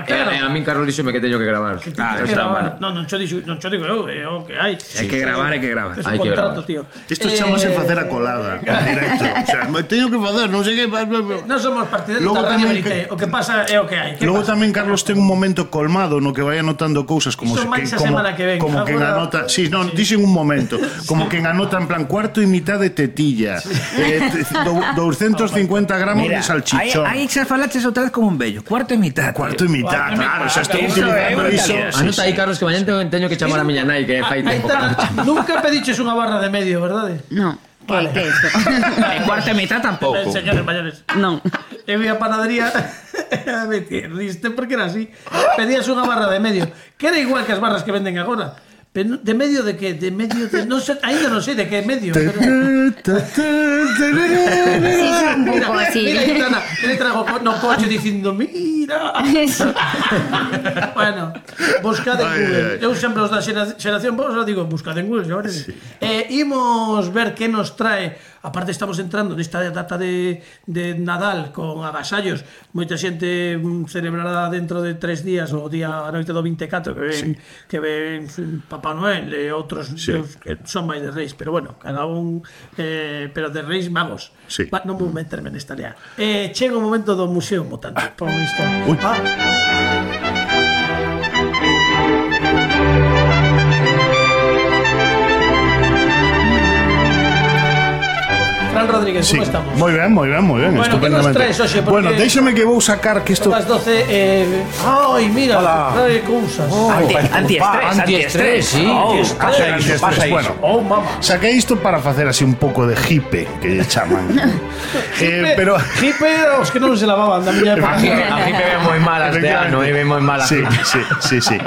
Eh, eh, a min Carlos díxome que teño que gravar. Que Ah, tienes que está gravar. mal. No, non cho dixo, non cho digo eu, é o que hai. Hai que gravar, hai que gravar. É un Hai que contrato, gravar. tío. Isto chamase facer a colada en directo. O sea, me teño que facer, non sei que... Non somos partidarios Logo da Radio tamén Verité. que- O que pasa é o que hai. Que Logo pasa? tamén Carlos ten un momento colmado no que vai anotando cousas como Iso se máis a como, semana que ven. como quen Agora- anota, si, sí, non, dixen un momento, como quen anota en plan cuarto e mitad de tetilla, eh, do- doscientos cincuenta gramos de Mira, aí, salchichón. aí xa falaches outra vez como un bello. Cuarto e mitad. Cuarto e mitad, claro, xa estou Iso é utilizando unha iso. calidad. Sí, Anota aí, Carlos, que mañan teño, teño que chamar a miña nai, que fai Aí tempo. está. Nunca pediches unha barra de medio, verdade? No, que, Vale. que é isto? E cuarto e mitad tampouco. Eh, señores mayores. Non. Eu ia a panadería me riste porque era así. Pedías unha barra de medio, que era igual que as barras que venden agora. Pero de medio de que? De medio de... Non sei, ainda non sei de que medio. Pero... Sí, son un Mira, pouco así. mira, Aitana, ele trago co- no coche dicindo, mira. Bueno, buscade en Ai, Google. ai. Eu sempre os da xera- xeración vos os digo, buscade en Google, señores. Sí. Eh, imos ver que nos trae. Aparte estamos entrando nesta data de, de Nadal con agasallos. Moita xente mm, celebrará dentro de tres días o día a noite do vinte e catro que ven, sí. que ven mm, Papá Noel e outros Sí. deus que son máis de reis, pero bueno, cada un eh, pero de reis magos. Sí. Va, non vou meterme nesta lea. Eh, chega o momento do Museo Mutante. Pon isto. Uy. Ah. Fran Rodríguez, Sí, como estamos? moi ben, moi ben, moi ben, Bueno, que nos estupendamente. traes, Oxe? Porque- Bueno, déixame que vou sacar que isto Son as doce eh... Ai, mira, trae cousas. Anti, antiestrés, antiestrés, sí. Oh, Pasa iso, pasa iso. Bueno, Oh, mama. saquei isto para facer así un pouco de hipe, que lle chaman. eh, pero Hipe era os que non se lavaban da miña época. A mí me ven moi malas de ano, e ven moi malas. Sí, sí, sí, sí.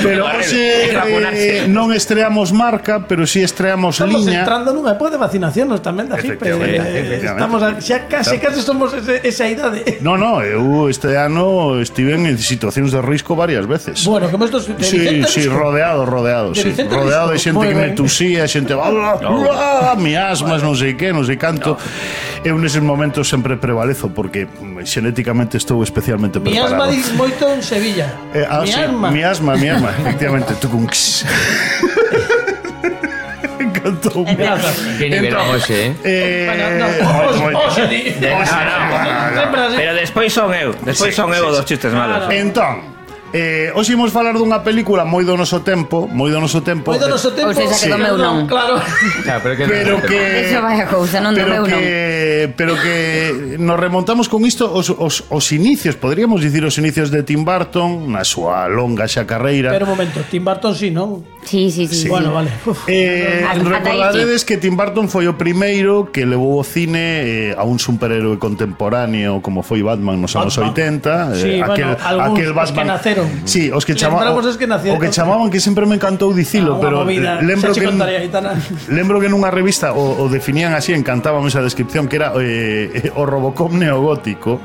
Pero hoxe Hai que vacunarse. eh, non estreamos marca, pero si sí estreamos Estamos liña. entrando nunha época de vacinación tamén da Hipe. Efectivamente, Eh, efectivamente. Estamos a, xa case, case somos ese, esa idade. No, no, eu este ano estive en situacións de risco varias veces. Bueno, como estos de Sí, Vicente sí, Risco. rodeado, rodeado, De sí. Vicente Rodeado de Risco. xente Moi que me ben. tusía, xente, ah, ah, miasmas, non sei que, non sei canto. Eu neses momentos sempre prevalezo porque mm, xenéticamente estou especialmente Mi asma preparado. di moito en Sevilla. Eh, ah, Mi sí, asma. miasma, miasma, efectivamente, tucunx. Encantou. Grazas. Que nivel hoxe, eh? Eh, Bueno, no, moi, os- moi. os- di- Oxe, Sempre así. pero despois son eu, despois Sí, son eu sí, dos sí. chistes malos. Claro. Entón, eh, hoxe imos falar dunha película moi do noso tempo, moi do noso tempo. Moi do noso tempo. Ou seja, que do meu non. Claro. Claro, pero que Pero que Eso vai a cousa, non do pero meu non. que pero que nos remontamos con isto os, os, os inicios, podríamos dicir os inicios de Tim Burton na súa longa xa carreira. Pero un momento, Tim Burton sí, non? Sí, sí, sí. Bueno, sí. vale. Uf. Eh, Ata- ata aí recordaredes que Tim Burton foi o primeiro que levou o cine eh, a un superhéroe contemporáneo como foi Batman nos anos Batman. oitenta, Sí, bueno, algúns, os que naceron. Sí, os que chamaban Lembramos os que nacieron. o que chamaban que sempre me encantou dicilo, Ah, unha pero movida. lembro Xa che que contaría, Aitana. lembro que nunha revista o, o definían así, encantábame esa descripción que era eh, o Robocop neogótico,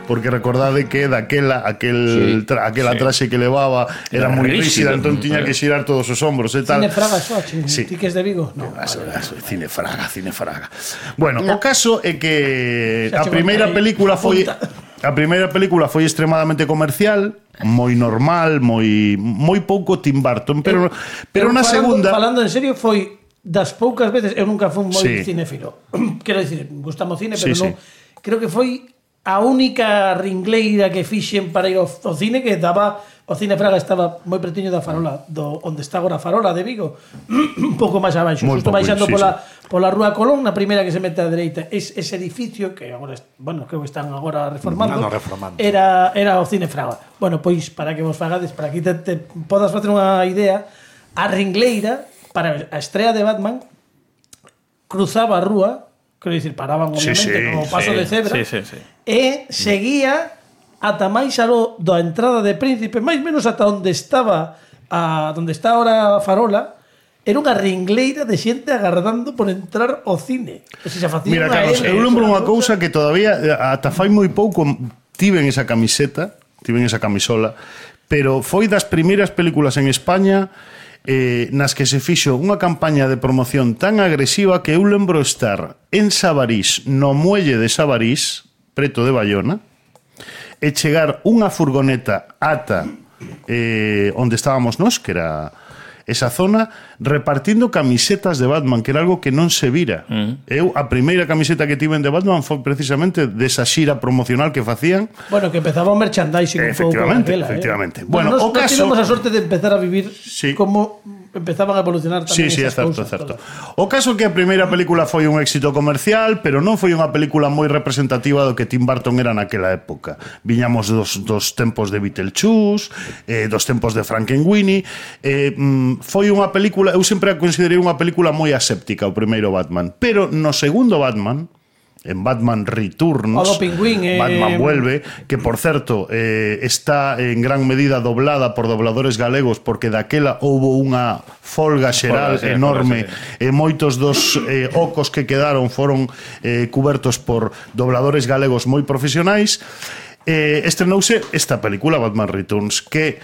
porque recordade que daquela aquel Sí, tra, aquela traxe que levaba era, Era moi rígido. rígida, entón tiña que xirar todos os hombros e tal. Cine Fraga, eso, che. Sí. Ti que es de Vigo? No. Eso, eso, cine fraga, cine fraga. Bueno, o caso é que Xa a che primeira contarei. película foi Apunta. a primeira película foi extremadamente comercial, moi normal, moi moi pouco Tim Burton, pero pero Eu na falando, segunda Falando en serio, foi das poucas veces, eu nunca fui moi Sí. cinéfilo. Quero dicir, gustamos cine, Sí, pero sí. non. Creo que foi a única ringleira que fixen para ir ao, ao cine que daba o Cine Fraga estaba moi pretiño da farola do onde está agora a farola de Vigo un pouco máis abaixo, Moi xusto pouco, baixando sí, pola, pola Rúa Colón, na primeira que se mete á dereita. Es, ese edificio que agora, est- bueno, creo que están agora reformando, Ah, no, reformando. era, era o Cine Fraga. Bueno, pois para que vos fagades, para que te, te podas facer unha idea, a ringleira para a estrea de Batman cruzaba a rúa, quero dicir, paraban Sí, obviamente sí, como paso sí, de cebra, sí, sí, sí. e seguía ata máis aló da entrada de Príncipe, máis menos ata onde estaba a onde está ahora a farola, era unha ringleira de xente agardando por entrar ao cine. O sea, xa facía Mira, unha Carlos, L, eu lembro unha unha cousa que todavía ata fai moi pouco tiven esa camiseta, tiven esa camisola, pero foi das primeiras películas en España eh, nas que se fixo unha campaña de promoción tan agresiva que eu lembro estar en Sabarís, no muelle de Sabarís, preto de Bayona, e chegar unha furgoneta ata eh, onde estábamos nós, que era esa zona, repartindo camisetas de Batman, que era algo que non se vira. Mm. Eu, a primeira camiseta que tiven de Batman foi precisamente desa xira promocional que facían. Bueno, que empezaba o merchandising un pouco Efectivamente, aquela, efectivamente. Eh? Bueno, Bueno, o nos, caso... nos tivemos a sorte de empezar a vivir Sí. como empezaban a evolucionar tamén Sí, sí, é esas certo, cousas. é certo. todas. O caso que a primeira película foi un éxito comercial, pero non foi unha película moi representativa do que Tim Burton era naquela época. Viñamos dos, dos tempos de Beetlejuice, eh, dos tempos de Frankenweenie, eh, mm, foi unha película, eu sempre a considerei unha película moi aséptica, o primeiro Batman, pero no segundo Batman, en Batman Returns, O do Pingüín, eh... Batman Vuelve, que por certo eh, está en gran medida doblada por dobladores galegos, porque daquela houbo unha folga xeral Folga, sí, enorme, folga, e moitos dos eh, ocos que quedaron foron eh, cubertos por dobladores galegos moi profesionais. Eh, estrenouse esta película, Batman Returns, que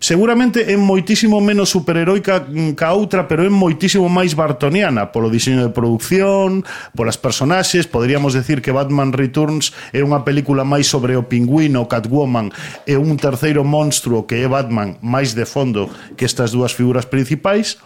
seguramente é moitísimo menos superheroica ca outra, pero é moitísimo máis bartoniana polo diseño de producción, polas personaxes. Poderíamos decir que Batman Returns é unha película máis sobre o Pingüino, Catwoman e un terceiro monstruo que é Batman máis de fondo que estas dúas figuras principais,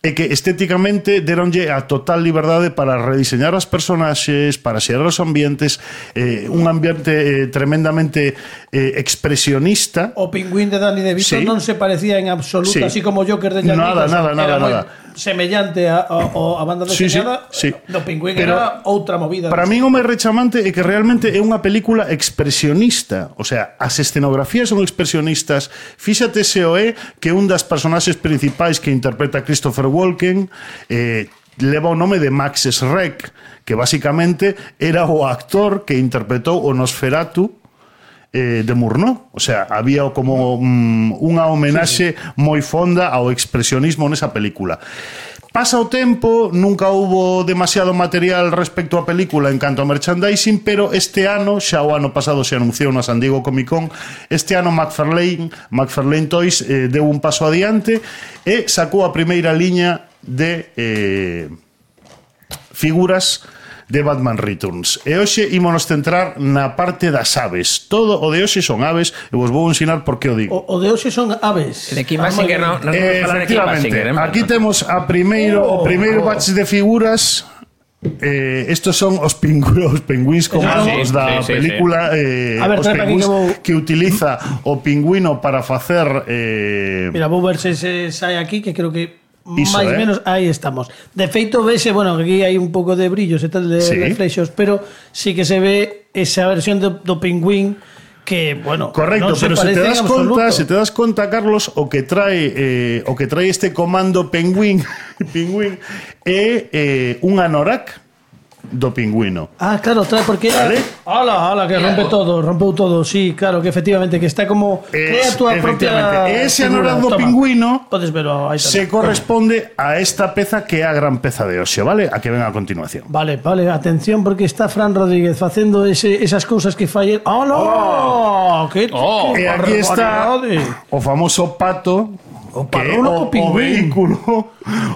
e que estéticamente deronlle a total liberdade para rediseñar as personaxes, para xerar os ambientes, eh, un ambiente eh, tremendamente eh, expresionista. O Pingüín de Danny DeVito Sí. non se parecía en absoluto, Sí. así como Joker de Jack Nada, Nicholson, nada, nada, era moi nada. semellante a, a, a banda Sí, sí, deseñada. sí. Do Pingüín Pero era outra movida. Para min o máis rechamante é que realmente é unha película expresionista. O sea, as escenografías son expresionistas. Fíxate se o é que un das personaxes principais que interpreta Christopher Walken eh, leva o nome de Max Schreck, que basicamente era o actor que interpretou o Nosferatu eh, de Murnau. O sea, había como um, unha homenaxe moi fonda ao expresionismo nesa película. Pasa o tempo, nunca houbo demasiado material respecto á película en canto a merchandising, pero este ano, xa o ano pasado se anunciou na San Diego Comic Con, este ano McFarlane, McFarlane Toys eh, deu un paso adiante e sacou a primeira liña de eh, figuras de Batman Returns. E hoxe ímonos centrar na parte das aves. Todo o de hoxe son aves, e vos vou ensinar por que o digo. O, o de hoxe son aves. De Kim Basinger, non no, Eh, vamos falar de Kim efectivamente, Basinger, eh? aquí temos a primeiro Oh, o primeiro oh. batch de figuras. Eh, estos son os pingüinos, os pingüins como Ah, os sí, da sí, sí, película eh, A ver, os trae pa aquí pingüins que vou- que utiliza o pingüino para facer eh, Mira, vou ver se se sai aquí, que creo que Iso, máis eh. menos aí estamos. De feito, vese, bueno, aquí hai un pouco de brillos e tal, de Sí. reflexos, pero sí que se ve esa versión do, do Pingüín que, bueno, non Correcto, se pero se te parece en das absoluto. conta, se te das conta, Carlos, o que trae eh, o que trae este comando Penguin, Pingüín é eh, un anorak do pingüino. Ah, claro, trae porque era... Vale. Ala, ala, que rompe todo, rompeu todo. Sí, claro, que efectivamente que está como crea Es, a túa propia efectivamente, ese figura. anorak do Toma. pingüino Podes verlo aí tamén. se corresponde a esta peza que é a gran peza de hoxe, vale? A que ven a continuación. Vale, vale, atención porque está Fran Rodríguez facendo ese, esas cousas que fai... ¡Hola! Que, Oh. que E aquí está barbaridade. o famoso pato, O que é parrulo co o, o pingüín. vehículo,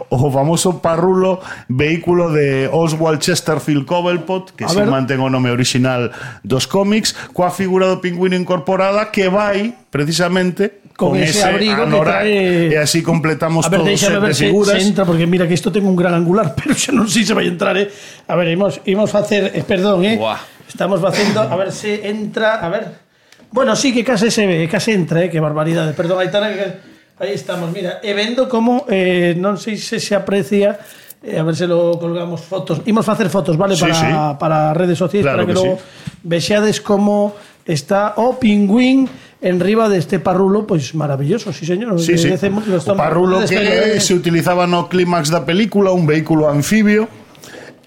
o famoso parrulo vehículo de Oswald Chesterfield Cobblepot, que A se ver. mantén o nome original dos cómics, coa figura do pingüino incorporada que vai precisamente Con con, ese ese, abrigo que anorak. trae- E así completamos A ver, todo o déxame set ver de se, figuras. se entra, porque mira que isto ten un gran angular, pero xa non sei se vai entrar, eh. A ver, imos, imos facer, eh, perdón, eh. Buah. Estamos facendo, a ver se entra, a ver. Bueno, sí que case se ve, case entra, eh, que barbaridade. Perdón, aí está, que aí estamos, mira, e vendo como eh, non sei se se aprecia, eh, a ver se lo colgamos fotos. Imos facer fotos, vale, Sí, para sí. para redes sociais, Claro para que, que logo vexades como está o pingüín en riba deste parrulo, pois maravilloso, sí señor. Sí, sí. Decemos que lo O estamos- parrulo Despegue, que eh. se utilizaba no clímax da película, un vehículo anfibio,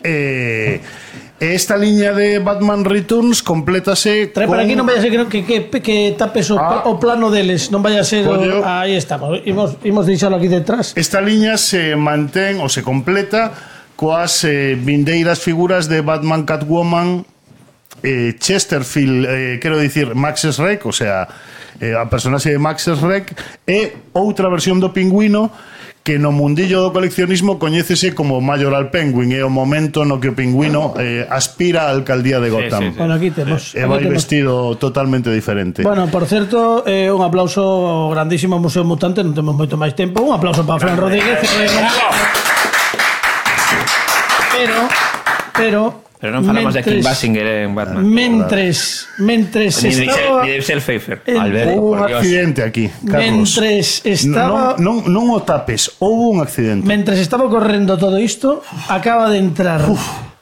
eh, esta liña de Batman Returns complétase Trae con... para aquí, non vaya a ser que, que, que, que tapes o, Ah. o plano deles, non vaya a ser Pollo. o, aí estamos, imos, imos deixalo aquí detrás. Esta liña se mantén ou se completa coas eh, vindeiras figuras de Batman, Catwoman, eh, Chesterfield, eh, quero dicir Max Schreck, o sea, eh, a personaxe de Max Schreck, e outra versión do Pingüino que no mundillo do coleccionismo coñécese como Mayoral Penguin, é o momento no que o Pingüino eh, aspira á alcaldía de Gotham. sí, sí. Bueno, aquí temos. E aquí vai temos. vestido totalmente diferente. Bueno, por certo, eh, un aplauso ao grandísimo Museo Mutante, non temos moito máis tempo. Un aplauso para Fran Rodríguez. Pero, pero... Pero non falamos de Kim mentres- Basinger en Batman. Mentres, mentres Ni de estaba... ni de Michelle Pfeiffer. en- Alberto, Houve un por Dios. accidente aquí, Carlos. Mentres estaba... Non, non, non o tapes, houve un accidente. Mentres estaba correndo todo isto, acaba de entrar.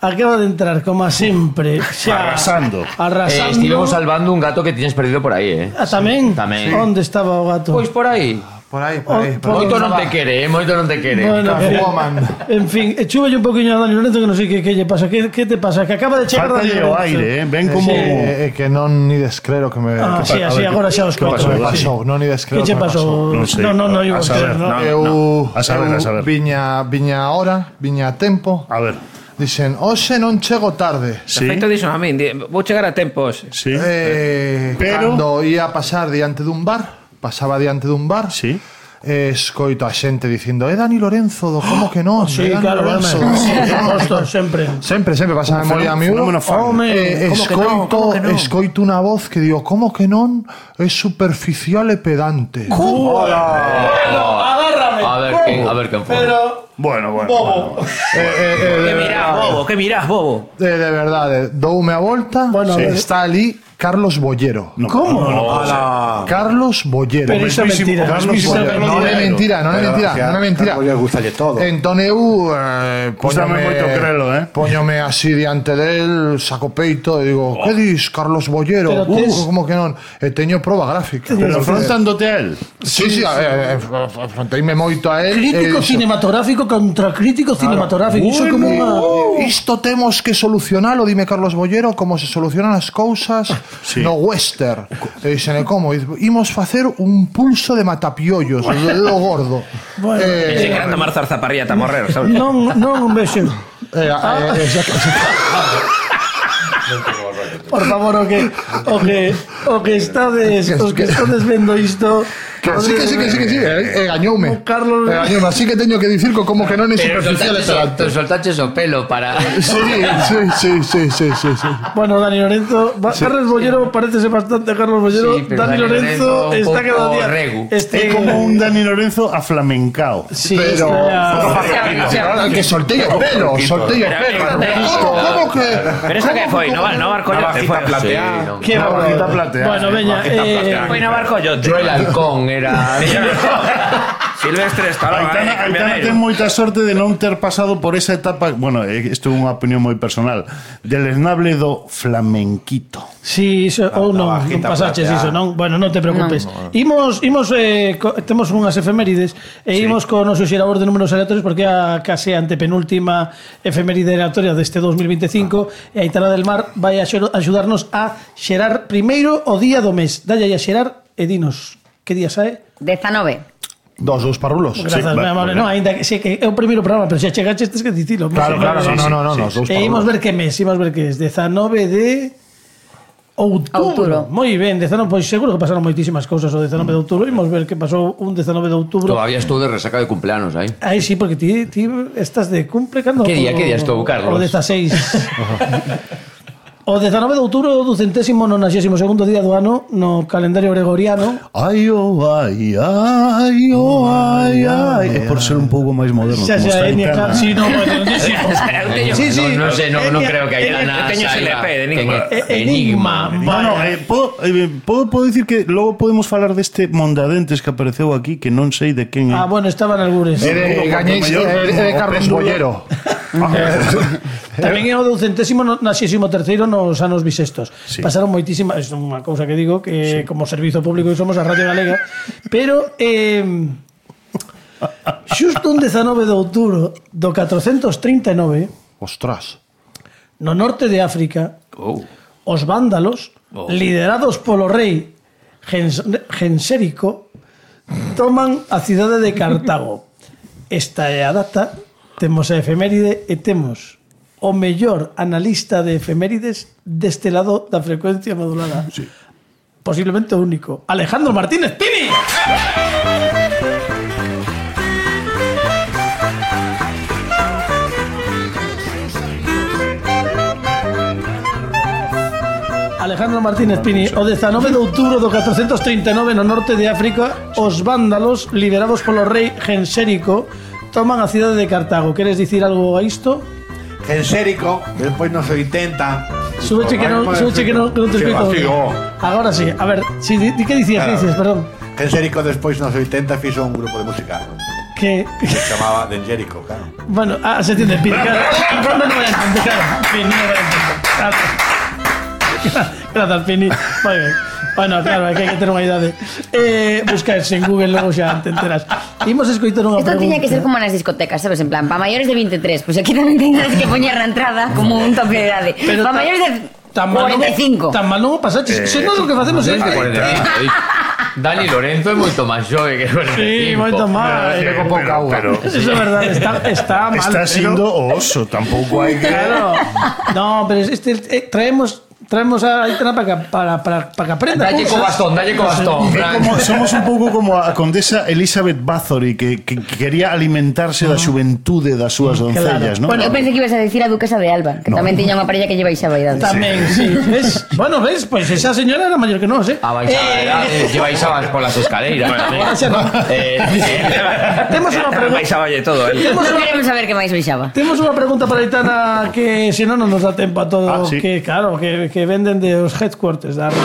Acaba de entrar, como a sempre. Xa, Arrasando. Eh, Arrasando. estivemos salvando un gato que tiñas perdido por aí, eh? Ah, tamén? Tamén. Onde estaba o gato? Pois por aí. Por aí, por aí. Oh, por aí. Moito non te quere, eh? Moito non te quere. Bueno, en fin, Catwoman. en fin, chúbelle un poquinho a Dani Lorenzo que non sei que, que lle pasa. Que, que te pasa? Que acaba de chegar Falta Dani o Lorenzo. aire, eh? Ven como... Eh, eh, que non ni descreo que me... Ah, que sí, pa- así, a ver, agora xa os que conto. me sí. pasou, non ni descreo Que che me pasou? Non sei. No, no, no, A iba a saber, creer, no. no. Eu, A saber, eu a saber. viña, viña a hora, viña a tempo. A ver, Dixen, hoxe non chego tarde. sí, Perfecto, dixo a min. di- Vou chegar a tempos. sí, Eh, Pero- Cando ia a pasar diante dun bar, pasaba diante dun bar, sí. eh, escoito a xente dicindo, é Dani Lorenzo, do como que non? Sí, é Dani claro, Lorenzo, home. do como que non?" Posto, sempre. Sempre, sempre pasaba moi a miúdo. fenómeno fan. Home, Eh, como que non, escoito, como que non? escoito unha voz que digo, como que non? É superficial e pedante. Agárrame. A ver quen, a ver quen foi. Pero... Bueno, bueno. Bobo. Eh, eh, eh, Que de, mirás, bobo, que mirás, bobo. de, de verdade, doume a volta, Bueno, a ver. está ali Carlos Bollero. No, ¿Cómo? no, no, no. Carlos Bollero. Pero iso é mentira. Carlos Iso é Bollero. Non é mentira. mentira, non é mentira, non é mentira. Carlos gustalle todo. Entón eu eh, Gústame moito crelo, eh. Póñome así diante del, saco peito e digo, que dis, Carlos Bollero? Pero tes- Uh, como que non? E teño proba gráfica. Pero afrontándote a él. Sí, sí, eh, eh, afronteime moito a él. Crítico e dixo, cinematográfico contra crítico cinematográfico. Iso é como unha... Isto temos que solucionalo, dime Carlos Bollero, como se solucionan as cousas Sí. no western. E dixen, como? Imos facer un pulso de matapiollos, do dedo gordo. Bueno, eh, Se queran tomar zarzaparrilla ata morrer, sabes? Non, non un vexo. eh, eh, eh, xa que- Por favor, o que o que o que estades, os que estades vendo isto, Que sí, que sí, que sí, que sí, eh, eh, gañoume. Carlos- Eh, gañoume, así que teño que dicir que como que non é Pero superficial e soltaches o, pedante. pero soltaches o pelo para... Sí, sí, sí, sí, sí, sí, sí. Bueno, Dani Lorenzo, va- Carlos Bollero parecese bastante a Carlos Bollero. Sí, pero Dani Dani Lorenzo Lorenzo un está cada pouco día regu. este É como un Dani Lorenzo aflamencao. Sí, Pero- está- Que soltei o pelo, soltei o pelo. ¿Cómo, cómo que? Pero esta que foi, no, no barco yo te foi. plateada. Sí, no. Qué Una barbaridad. bajita plateada. Bueno, veña, eh, Foi no barco yo. Yo el halcón era... Silvestre Stallone, Aitana, eh, Aitana ten moita sorte de non ter pasado por esa etapa, bueno, eh, isto é unha opinión moi personal, deleznable do flamenquito. sí, iso, ou non, non bajita pasaches plateada. iso, non? Bueno, non te preocupes. Imos, imos eh, co, temos unhas efemérides e imos co noso xerador de números aleatorios porque é a case antepenúltima efeméride aleatoria deste dos mil veinticinco e Aitana del Mar vai a xer- axudarnos a xerar primeiro o día do mes. Dalle aí a xerar e dinos que día sae. dezanove. Dos, dos parrulos. Grazas, Sí, sí, va, amable. muy No, ainda que sei que é o primeiro programa, pero xa chegaches tes que dicilo. Claro, claro, no, no, no, no, no, dos E imos parrulos. ver que mes, imos ver que é dezanove de outubro. Outubro. Moi ben, dezanove, pois seguro que pasaron moitísimas cousas o dezanove de outubro. Imos ver que pasou un dezanove de outubro. Todavía estou de resaca de cumpleanos aí. Aí sí, porque ti, ti estás de cumple cando Que día, que día estou, Carlos? O dezaseis. O dezanove de outubro do centésimo nonaxésimo segundo día do ano no calendario gregoriano. Ai, oh, ai, ai, oh, ai, ai. É por ser un pouco máis moderno. Xa como xa está Enya, Aitana. claro, sí, no, bueno, sí, sí, sí. No, no sé, no, no Enya- creo que haya Enya- nada. teño ese L P de Enigma. Eh, Enigma. Bueno, eh, podo, eh, podo, podo dicir que logo podemos falar deste Mondadentes que apareceu aquí, que non sei de quen é. Ah, bueno, estaban algures. É de, gañéis, é de, é de Carlos Bollero. Tamén é o do centésimo nonaxésimo terceiro nos anos bisestos. Sí. Pasaron moitísimas, é unha cousa que digo que sí. Como servizo público que somos a Radio Galega, pero eh, xusto un dezanove de outubro do catrocentos trinta e nove Ostras. No norte de África, Oh. os vándalos, Oh. liderados polo rei Gens Gensérico, toman a cidade de Cartago. Esta é a data, temos a efeméride e temos o mellor analista de efemérides deste lado da frecuencia modulada. Sí. Posiblemente o único. Alejandro Martínez Pini. Alejandro Martínez Pini, o dezanove de outubro do catrocentos trinta e nove no norte de África, os vándalos, liderados polo rei Gensérico, toman a cidade de Cartago. Queres dicir algo a isto? Gensérico, despois nos oitenta. Súbeche que non, súbeche que non, que non te explico. Agora sí, a ver, si, di, di que dicías, que dices, perdón. Gensérico despois nos oitenta fixo un grupo de música que se chamaba Dengérico, claro. Bueno, ah, se entiende, Pini, claro. No, no voy a entender, claro. Pini, no voy a entender. Claro. Gracias, Pini. Muy bien. Bueno, claro, hai que, que ter unha idade. Eh, buscaes en Google, logo xa te enteras. Imos escoitar unha Esto pregunta. tiña que ser como nas discotecas, sabes? En plan, para maiores de veintitrés. Pois pues aquí tamén teñas que poñer na entrada como un tope de idade. Para maiores de cuarenta e cinco. Tan mal non o pasaches. Eh, Se non o que facemos é... Dani Lorenzo é moito máis xove que cuarenta e cinco. Sí, moito máis. Pero, pero, pero, Eso é verdade, está, está mal. está pero... siendo oso, tampouco hai que... Claro. No, pero este, eh, traemos... Traemos a Aitana para que, para, para, para que aprenda Dalle co bastón, dalle co bastón. É como, somos un pouco como a condesa Elizabeth Bathory que, que, que quería alimentarse da xuventude das súas doncellas, Claro. ¿no? Bueno, eu pensei que ibas a decir a duquesa de Alba, que No. tamén tiña unha parella que lle baixaba a idade. Tamén, sí. ¿Ves? Bueno, ves, pues esa señora era mayor que nos, ¿eh? A baixar, eh, lle baixabas polas escaleiras. Ahora xa no. Eh, Temos unha pregunta. Baixaballe todo, eh. Temos Non unha, queremos saber que máis baixaba. temos unha pregunta para Aitana que se non non nos dá tempo a todo, Ah, sí. que claro, que, que venden de os headquarters da radio.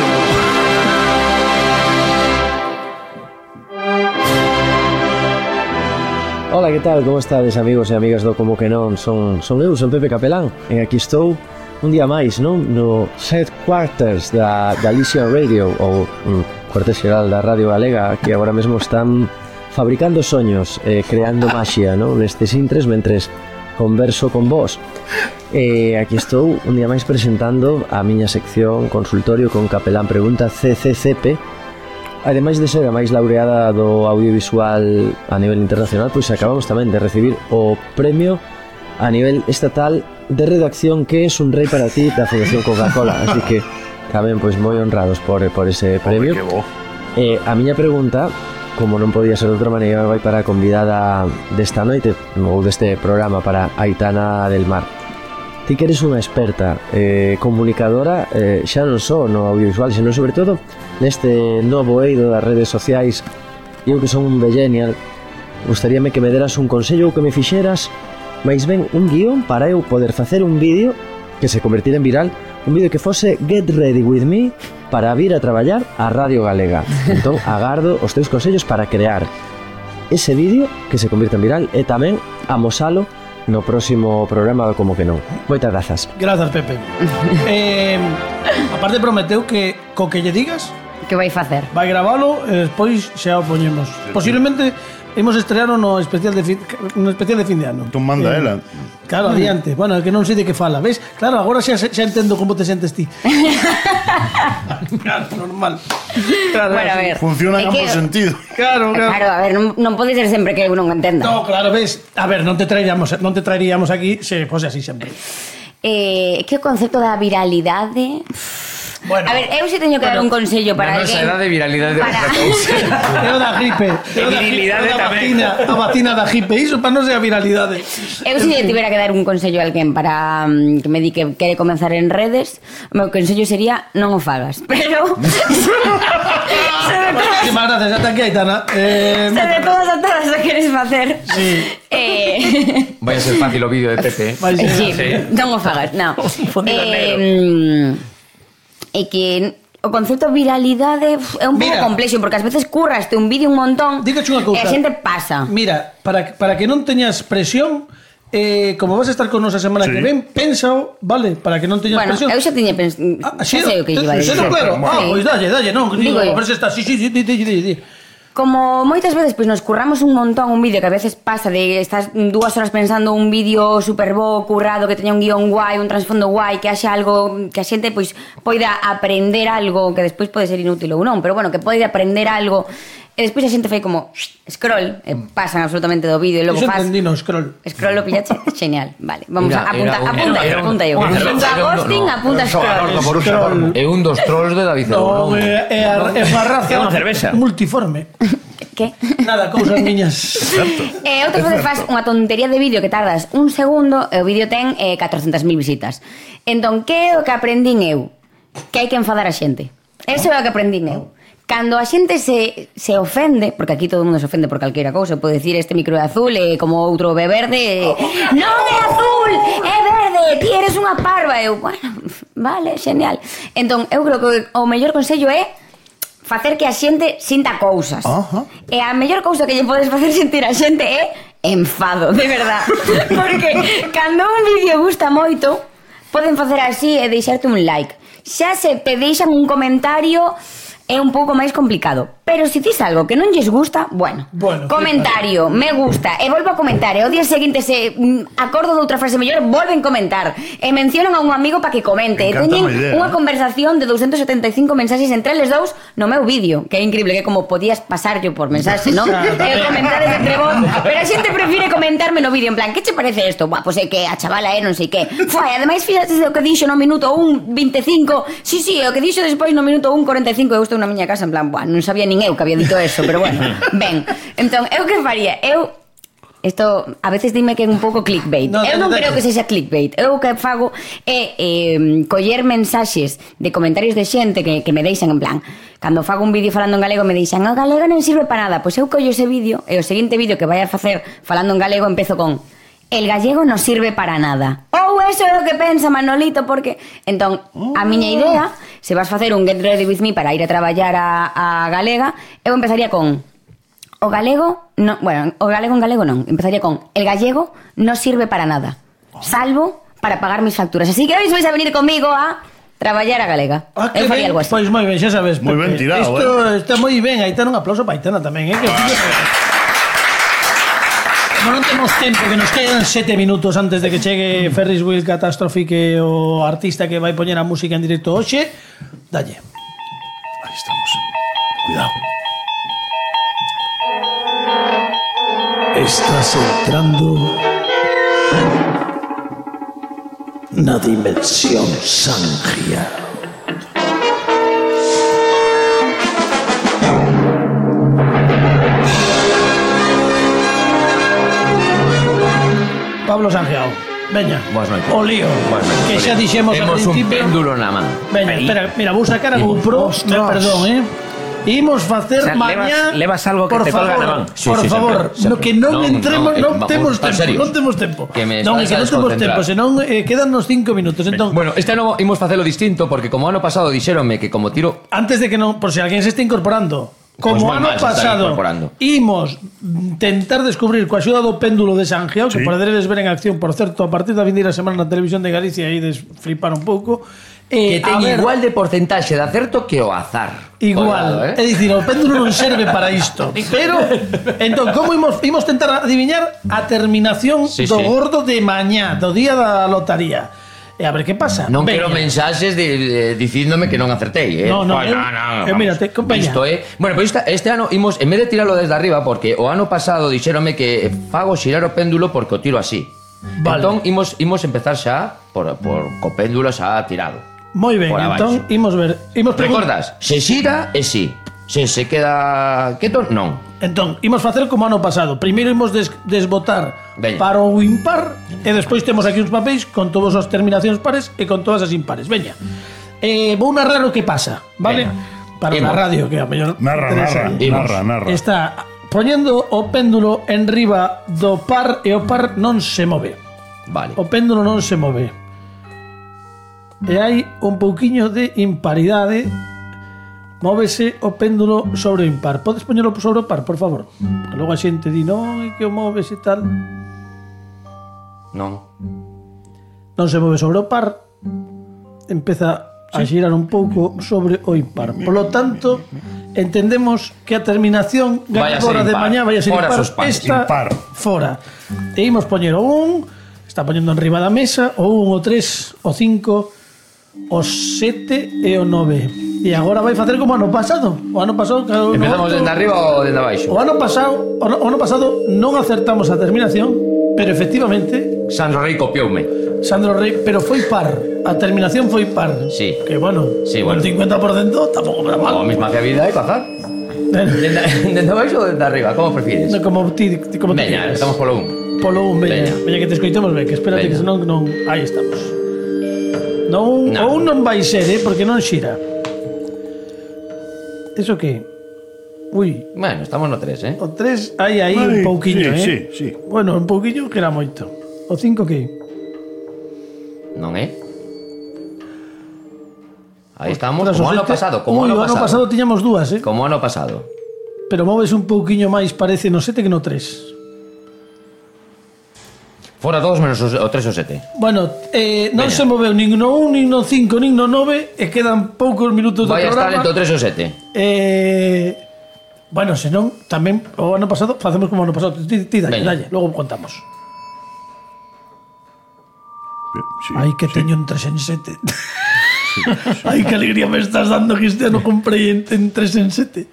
Ola, que tal? Como estades, amigos e amigas do Como que non? Son, son eu, son Pepe Capelán e aquí estou un día máis, non? No headquarters da Galicia Radio ou um, cuartel xeral da Radio Galega, que agora mesmo están fabricando soños, eh, creando maxia, non? Nestes intres mentres converso con vos. E aquí estou un día máis presentando a miña sección Consultorio con Capelán Pregunta C C C P. Ademais de ser a máis laureada do audiovisual a nivel internacional, pois acabamos tamén de recibir o premio a nivel estatal de redacción que es un rei para ti da Fundación Coca-Cola. Así que tamén pois moi honrados por, por ese premio. Que bo. Eh, a miña pregunta, como non podía ser de outra maneira, vai para a convidada desta noite ou deste programa, para Aitana del Mar. Ti que eres unha experta eh, comunicadora, eh, xa non só no audiovisual, senón sobre todo neste novo eido das redes sociais. Eu que son un millennial, gustaríame que me deras un consello ou que me fixeras máis ben un guión para eu poder facer un vídeo que se convertira en viral, un vídeo que fose Get Ready With Me para vir a traballar a Radio Galega. Entón, agardo os teus consellos para crear ese vídeo que se convirta en viral e tamén amosalo no próximo programa do Como que non. Moitas grazas. Grazas, Pepe. eh, aparte prometeu que co que lle digas Que vai facer? vai gravalo e despois xa o poñemos. Posiblemente imos estrear no especial de fin, no especial de fin de ano. Tú manda Eh, ela. Claro, adiante. Bueno, é que non sei de que fala, ves? Claro, agora xa, xa entendo como te sentes ti. Claro, normal. Claro, Bueno, a ver. Funciona en é que- ambos sentidos. Claro, claro. Claro, a ver, non, non pode ser sempre que eu non entenda. No, claro, ves. A ver, non te traeríamos, non te traeríamos aquí se fose así sempre. Eh, que o concepto da viralidade... Bueno, A ver, eu se teño que dar un consello para Na nosa alguén... edade, viralidade é Para- outra cousa. é o da gripe. É o da virilidade é o da tamén. vacina, a vacina da gripe. Iso para non ser a viralidade. Eu se lle tivera que dar un consello a alguén para mm, que me di que quere comenzar en redes, o meu consello sería non o fagas. Pero... Muchísimas gracias, ata aquí, Aitana. Eh, Se de todas a todas o queres facer. Sí. Eh... Vai a ser fácil o vídeo de Pepe. vai ser- Sí, non o fagas, non. Fundido en negro. Eh, é que o concepto viralidade uf, é un pouco Mira. complexo porque ás veces curraste un vídeo un montón Dígache unha cousa. e a xente pasa. Mira, para, para que non teñas presión, eh, como vas a estar con nos a semana Sí. que ven, pénsao, vale, para que non teñas Bueno, presión. eu xa tiña pens... Ah, xa sei o que iba a sí, dicir. no, claro. Ah, Sí. pois dalle, dalle, non, digo, Digo eu. a ver se está. Sí, sí, sí, di, di, di, di. como moitas veces pois nos curramos un montón un vídeo que a veces pasa de estás dúas horas pensando un vídeo super bo, currado, que teña un guión guai, un trasfondo guai, que haxa algo que a xente pois poida aprender algo que despois pode ser inútil ou non, pero bueno, que pode aprender algo e despois a xente fai como scroll e pasan absolutamente do vídeo e logo Iso faz entendino, scroll. Scroll o pillache, genial, vale. Vamos Mira, a apunta, era un- apunta, era un- apunta eu. un- Apunta era un- ghosting, no, no. apunta scroll. Scroll. É un dos trolls de David No, Cerón. é é a é a raza É unha cerveza. multiforme. Que? Nada, cousas miñas. E outras veces faz unha tontería de vídeo que tardas un segundo e o vídeo ten eh, catrocentas mil visitas. Entón, que é o que aprendín eu? Que hai que enfadar a xente. Eso é o que aprendín eu. Cando a xente se, se ofende, porque aquí todo o mundo se ofende por calquera cousa, pode decir este micro é azul e como outro é verde, e, non é azul, é verde, ti eres unha parva. Eu, bueno, vale, genial. Entón, eu creo que o mellor consello é facer que a xente sinta cousas. Ajá. E a mellor cousa que lle podes facer sentir a xente é enfado, de verdad. Porque cando un vídeo gusta moito, poden facer así e deixarte un like. Xa se te deixan un comentario é un pouco máis complicado. Pero se tis algo que non lles gusta, bueno, Bueno, comentario, me gusta, e volvo a comentar, e o día seguinte se mm, acordo de outra frase mellor, volven comentar, e mencionan a un amigo para que comente, e Me encanta teñen a idea, unha eh. conversación de doscientos setenta e cinco mensaxes entre eles dous no meu vídeo, que é increíble, que como podías pasar yo por mensaxe, non? E comentades entre vos, pero a xente prefire comentarme no vídeo, en plan, que che parece isto? Buah, pois é que a chavala é non sei que. Foi, ademais, fíxate o que dixo no minuto un veinticinco, sí, sí, o que dixo despois no minuto un cuarenta e cinco, eu estou na miña casa, en plan, buah, non sabía nin eu que había dito eso, pero bueno, ben. Entón, eu que faría? Eu Isto a veces dime que é un pouco clickbait. No, eu non no, no, creo que sexa clickbait. Eu o que fago é eh, coller mensaxes de comentarios de xente que, que me deixan en plan, cando fago un vídeo falando en galego me deixan, o galego non sirve para nada. Pois eu collo ese vídeo e o seguinte vídeo que vai a facer falando en galego empezo con el gallego non sirve para nada. Ou eso é o que pensa Manolito, porque entón a miña idea, se vas facer un Get Ready With Me para ir a traballar a, a galega, eu empezaría con o galego, no, bueno, o galego en galego non, empezaría con el gallego non sirve para nada, salvo para pagar mis facturas. Así que hoy vais a venir conmigo a traballar a galega. Ah, Eu que faría ben, algo así. pois moi ben, xa sabes. Moi ben Pepe. tirado, Isto está moi ben, Aitana, un aplauso para Aitana tamén, eh, que Como non temos tempo, que nos quedan sete minutos antes de que chegue Ferris Wheel Catastrophe, que o artista que vai poñer a música en directo hoxe, dalle. Ahí estamos. Cuidado. Estás entrando na dimensión Sangia. Pablo Sangiao, veña, Boas noites. o lío, Boas noites, que o xa lío. dixemos ao Temos un principio. péndulo na man. Veña, espera, mira, vou sacar a GoPro, me perdón, eh. Imos facer O sea, mañá. levas- levas algo que por te colga favor, na man. Sí, por sí, favor, sempre, sempre. no que non, Non, entremos, non, non, eh, temos vamos, en tempo, serio. non temos tempo. Que me non, é estás que a non temos tempo, desconcentrar. senón eh, quedannos cinco minutos. Entón, Bueno, este ano imos facelo distinto porque como ano pasado dixéronme que como tiro antes de que non, por si alguén se está incorporando, como Pues moi ano mal se están pasado incorporando. imos tentar descubrir coa axuda do péndulo de Sangiao, que Sí. poderedes ver en acción, por certo, a partir da vindeira semana na televisión de Galicia, aí des flipar un pouco. Eh, que a ten ver, igual de porcentaxe de acerto que o azar. Igual, Cuidado, é dicir, o péndulo non serve para isto. Pero, entón, como imos, imos tentar adiviñar a terminación Sí, do sí. gordo de mañá, do día da lotaría. E a ver que pasa. Non Veña. quero mensaxes de, de, dicíndome que non acertei, eh? No, no, Pues, eu- no, no, eu vamos. mírate, compañía. Isto é, bueno, pois esta, este ano imos en vez de tiralo desde arriba porque o ano pasado dixéronme que fago xirar o péndulo porque o tiro así. Vale. Entón imos imos empezar xa por por co péndulo xa tirado. Moi ben, por entón abaixo. imos ver. Imos pregun- Recordas? Se xira é sí. Se se queda quieto, non. Entón, imos facer como ano pasado. Primeiro imos des desbotar Veña. para o impar e despois temos aquí uns papéis con todas as terminacións pares e con todas as impares. Veña. Eh, vou narrar o que pasa, vale? Veña. Para Imos. a radio, que a mellor Narra, interesa. narra, Imos. narra, narra. Está poñendo o péndulo en riba do par e o par non se move. Vale. O péndulo non se move. E hai un pouquiño de imparidade. Móvese o péndulo sobre o impar. Podes poñelo sobre o par, por favor? Que logo a xente di, non, é que o moves e tal. Non. Non se move sobre o par. Empeza a xirar un pouco sobre o impar. Polo tanto, entendemos que a terminación ganadora de mañá vai a ser fora impar. Esta impar. fora. E imos poñer o un, está poñendo enriba da mesa, o un, o tres, o cinco, o sete e o nove. E agora vai facer como ano pasado. O ano pasado cada uno Empezamos outro. dende arriba ou dende abaixo? O ano pasado, o ano, o ano pasado non acertamos a terminación, pero efectivamente Sandro Rey copioume. Sandro Rey, pero foi par. A terminación foi par. Sí. Que bueno, Sí, un bueno. cincuenta por ciento tampouco me da mal. O a mesma que a vida hai que azar. Dende, dende abaixo ou dende arriba? Como prefires? No, como ti, ti como te Veña, quieras. estamos polo un. Polo un, veña. Veña. Veña que te escoitemos ben, que espérate Veña. que senón non... Aí estamos. Non, No. ou non vai ser, eh, porque non xira. Eso que? Ui, Bueno, estamos no tres, eh? o tres, aí, aí, Ai, un pouquiño, sí, eh? sí, sí. Bueno, un pouquiño que era moito. O cinco que? Non é? Aí estamos, Tras como o ano sete- pasado, como Ui, ano o ano pasado. pasado tiñamos dúas, eh? Como ano pasado. Pero moves un pouquiño máis, parece, no sete que no tres. Fora todos menos o o tres ou sete. Bueno, eh, non Veña. se moveu nin no un, nin no cinco, nin no nove, e quedan poucos minutos do Vai a estar programa. entre o tres ou sete. Eh, bueno, senón, tamén o ano pasado facemos como o ano pasado. Ti, ti dalle, Veña. dalle, logo contamos. Sí, Ai, que sí. teño un tres en sete. Ai, que alegría me estás dando que este ano comprei en, en tres en sete.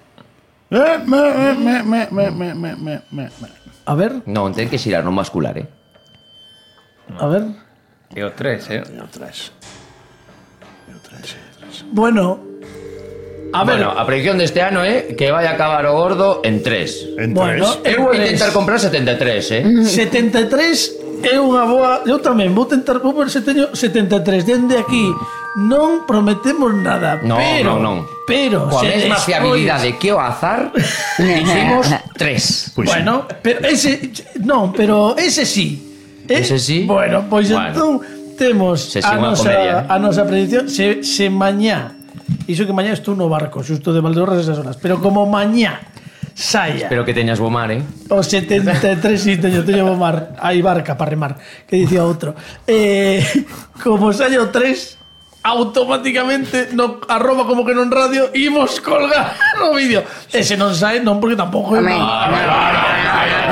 Eh, me, me, me, me, me, me, me, me, me. A ver, Non, ten que xirar, non bascular, eh? a ver. E o tres, eh? Eu tres. Eu tres, eu tres. Bueno, a ver, Bueno, a predicción deste ano é que vai acabar o gordo en tres. En bueno, tres. Eu vou eres intentar comprar setenta e tres, eh? setenta e tres é unha boa. Eu tamén vou tentar, vou ver se teño setenta e tres. Dende aquí non prometemos nada, No, pero non, non. pero Coa se mesma despois- fiabilidade que o azar, dicimos tres. Pois sí. Bueno, pero ese non, pero ese sí. Eh, Ese sí? Bueno, pois Bueno. entón temos Se a sigue unha nosa comedia, eh. a nosa predicción se se mañá. Iso que mañá estou no barco, xusto de Valdeorras esas horas, pero como mañá saia. Espero que teñas bo mar, eh? O setenta e tres, sí, teño, teño bo mar. Hai barca para remar, que dicía outro. Eh, como saia o tres, automáticamente no arroba como que non radio imos colgar o vídeo. Ese non sae, non, porque tampouco é... Amén.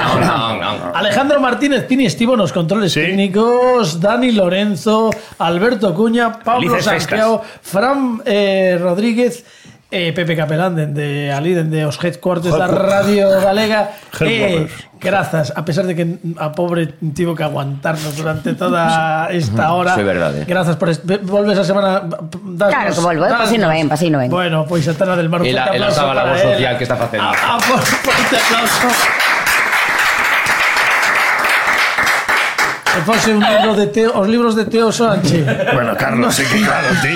Non, non, non. Alejandro Martínez Pini estivo nos controles Sí. técnicos, Dani Lorenzo, Alberto Cuña, Pablo Felices Santiago, Fran eh, Rodríguez, eh, Pepe Capelán dende ali, dende os headquarters da Radio Galega. Eh, Headquarters. grazas, a pesar de que a pobre tivo que aguantarnos durante toda esta hora. Sí, verdade. Grazas por est- volves a semana das Claro que volvo, eh, pasino ben, pasino ben. Bueno, pois a Tana del Mar, un E la- forte e la aplauso sábana para labor él. social que está facendo. A, a, por- forte aplauso. Se fose un libro de Teo, os libros de Teo Sánchez. Bueno, Carlos, sí que claro, ti.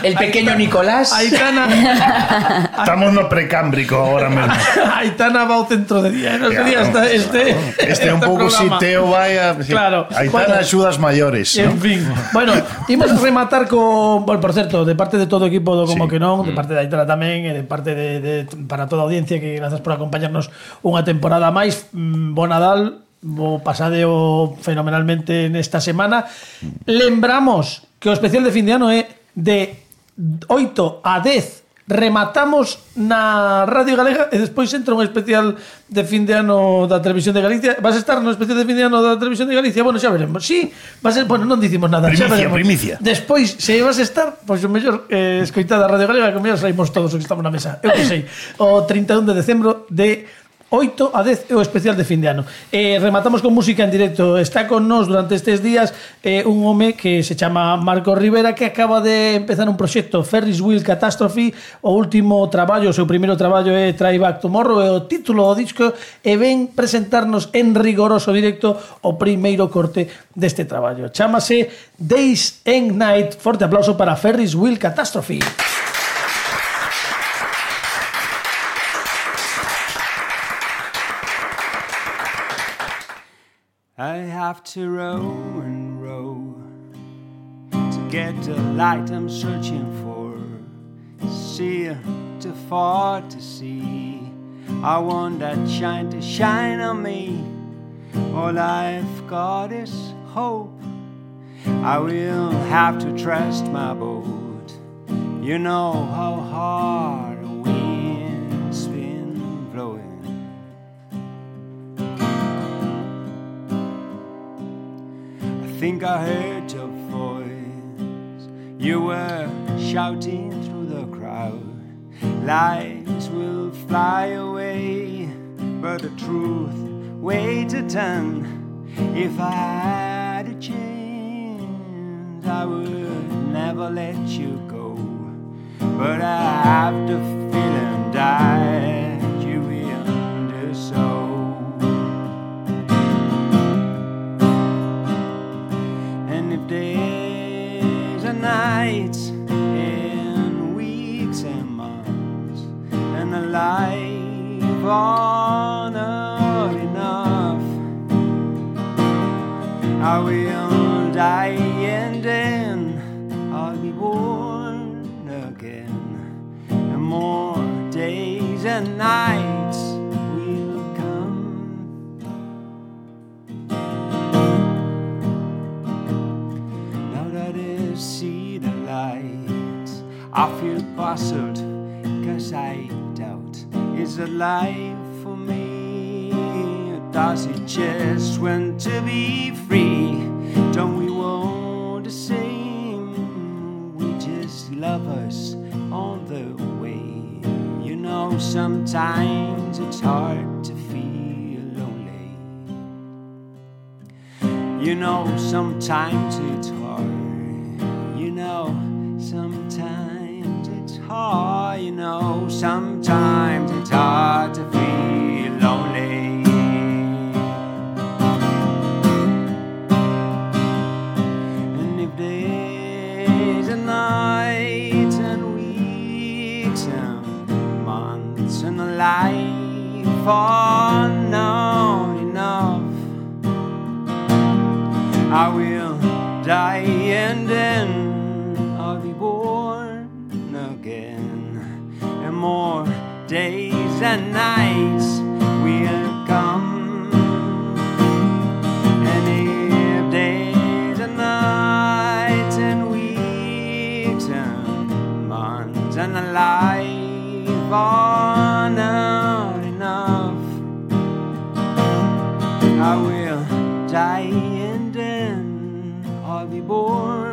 El pequeño Nicolás. Aitana, Estamos no precámbrico ahora mesmo. Aitana va ao centro de día. No Claro. sería esta, este, Este un este pouco si programa. Teo vai a... Claro. Aí Bueno. están axudas maiores. En ¿no? fin. Bueno, imos rematar con, bueno, por certo, de parte de todo o equipo do Como Sí. que non, de parte de Aitana tamén, e de parte de, de para toda a audiencia, que grazas por acompañarnos unha temporada máis. Mm, Bo Nadal, bo pasadeo fenomenalmente nesta semana. Lembramos que o especial de fin de ano é de oito a dez. Rematamos na Radio Galega e despois entra un especial de fin de ano da Televisión de Galicia. Vas a estar no especial de fin de ano da Televisión de Galicia? Bueno, xa veremos. Sí, va a ser, bueno, non dicimos nada, xa Primicia, veremos. primicia. Despois, se vas a estar, pois o mellor eh, escoitada a Radio Galega, que o mellor saímos todos os que estamos na mesa. Eu que sei, o trinta e un de decembro de oito a dez é o especial de fin de ano. Eh, rematamos con música en directo. Está con nós durante estes días eh, un home que se chama Marco Rivera, que acaba de empezar un proxecto, Ferris Wheel Catastrophe. O último traballo, o seu primeiro traballo é Try Back Tomorrow, é o título do disco, e ven presentarnos en rigoroso directo o primeiro corte deste traballo. Chámase Days and Night. Forte aplauso para Ferris Wheel Catastrophe. I have to row and row to get the light I'm searching for. See too far to see. I want that shine to shine on me. All I've got is hope. I will have to trust my boat. You know how hard the wind's been blowing. I think I heard your voice. You were shouting through the crowd. Lies will fly away, but the truth weighs a ton. If I had a chance, I would never let you go. But I have the feeling that you will do so. And if days and nights and weeks and months and a life are not enough, I will die and then I'll be born again, and more days and nights will come. Now that I see the light, I feel puzzled, cause I doubt, is it life for me? Or does it just want to be free? Don't we want the same? We just love us on the way. You know, sometimes it's hard to feel lonely. You know, sometimes it's hard. You know, sometimes it's hard. You know, sometimes it's hard to feel lonely. And if days and nights and weeks and months and a life are not enough, I will die and then I'll be born again, and more days and nights will come. And if days and nights and weeks and months and a life are not enough, I will die and then I'll be born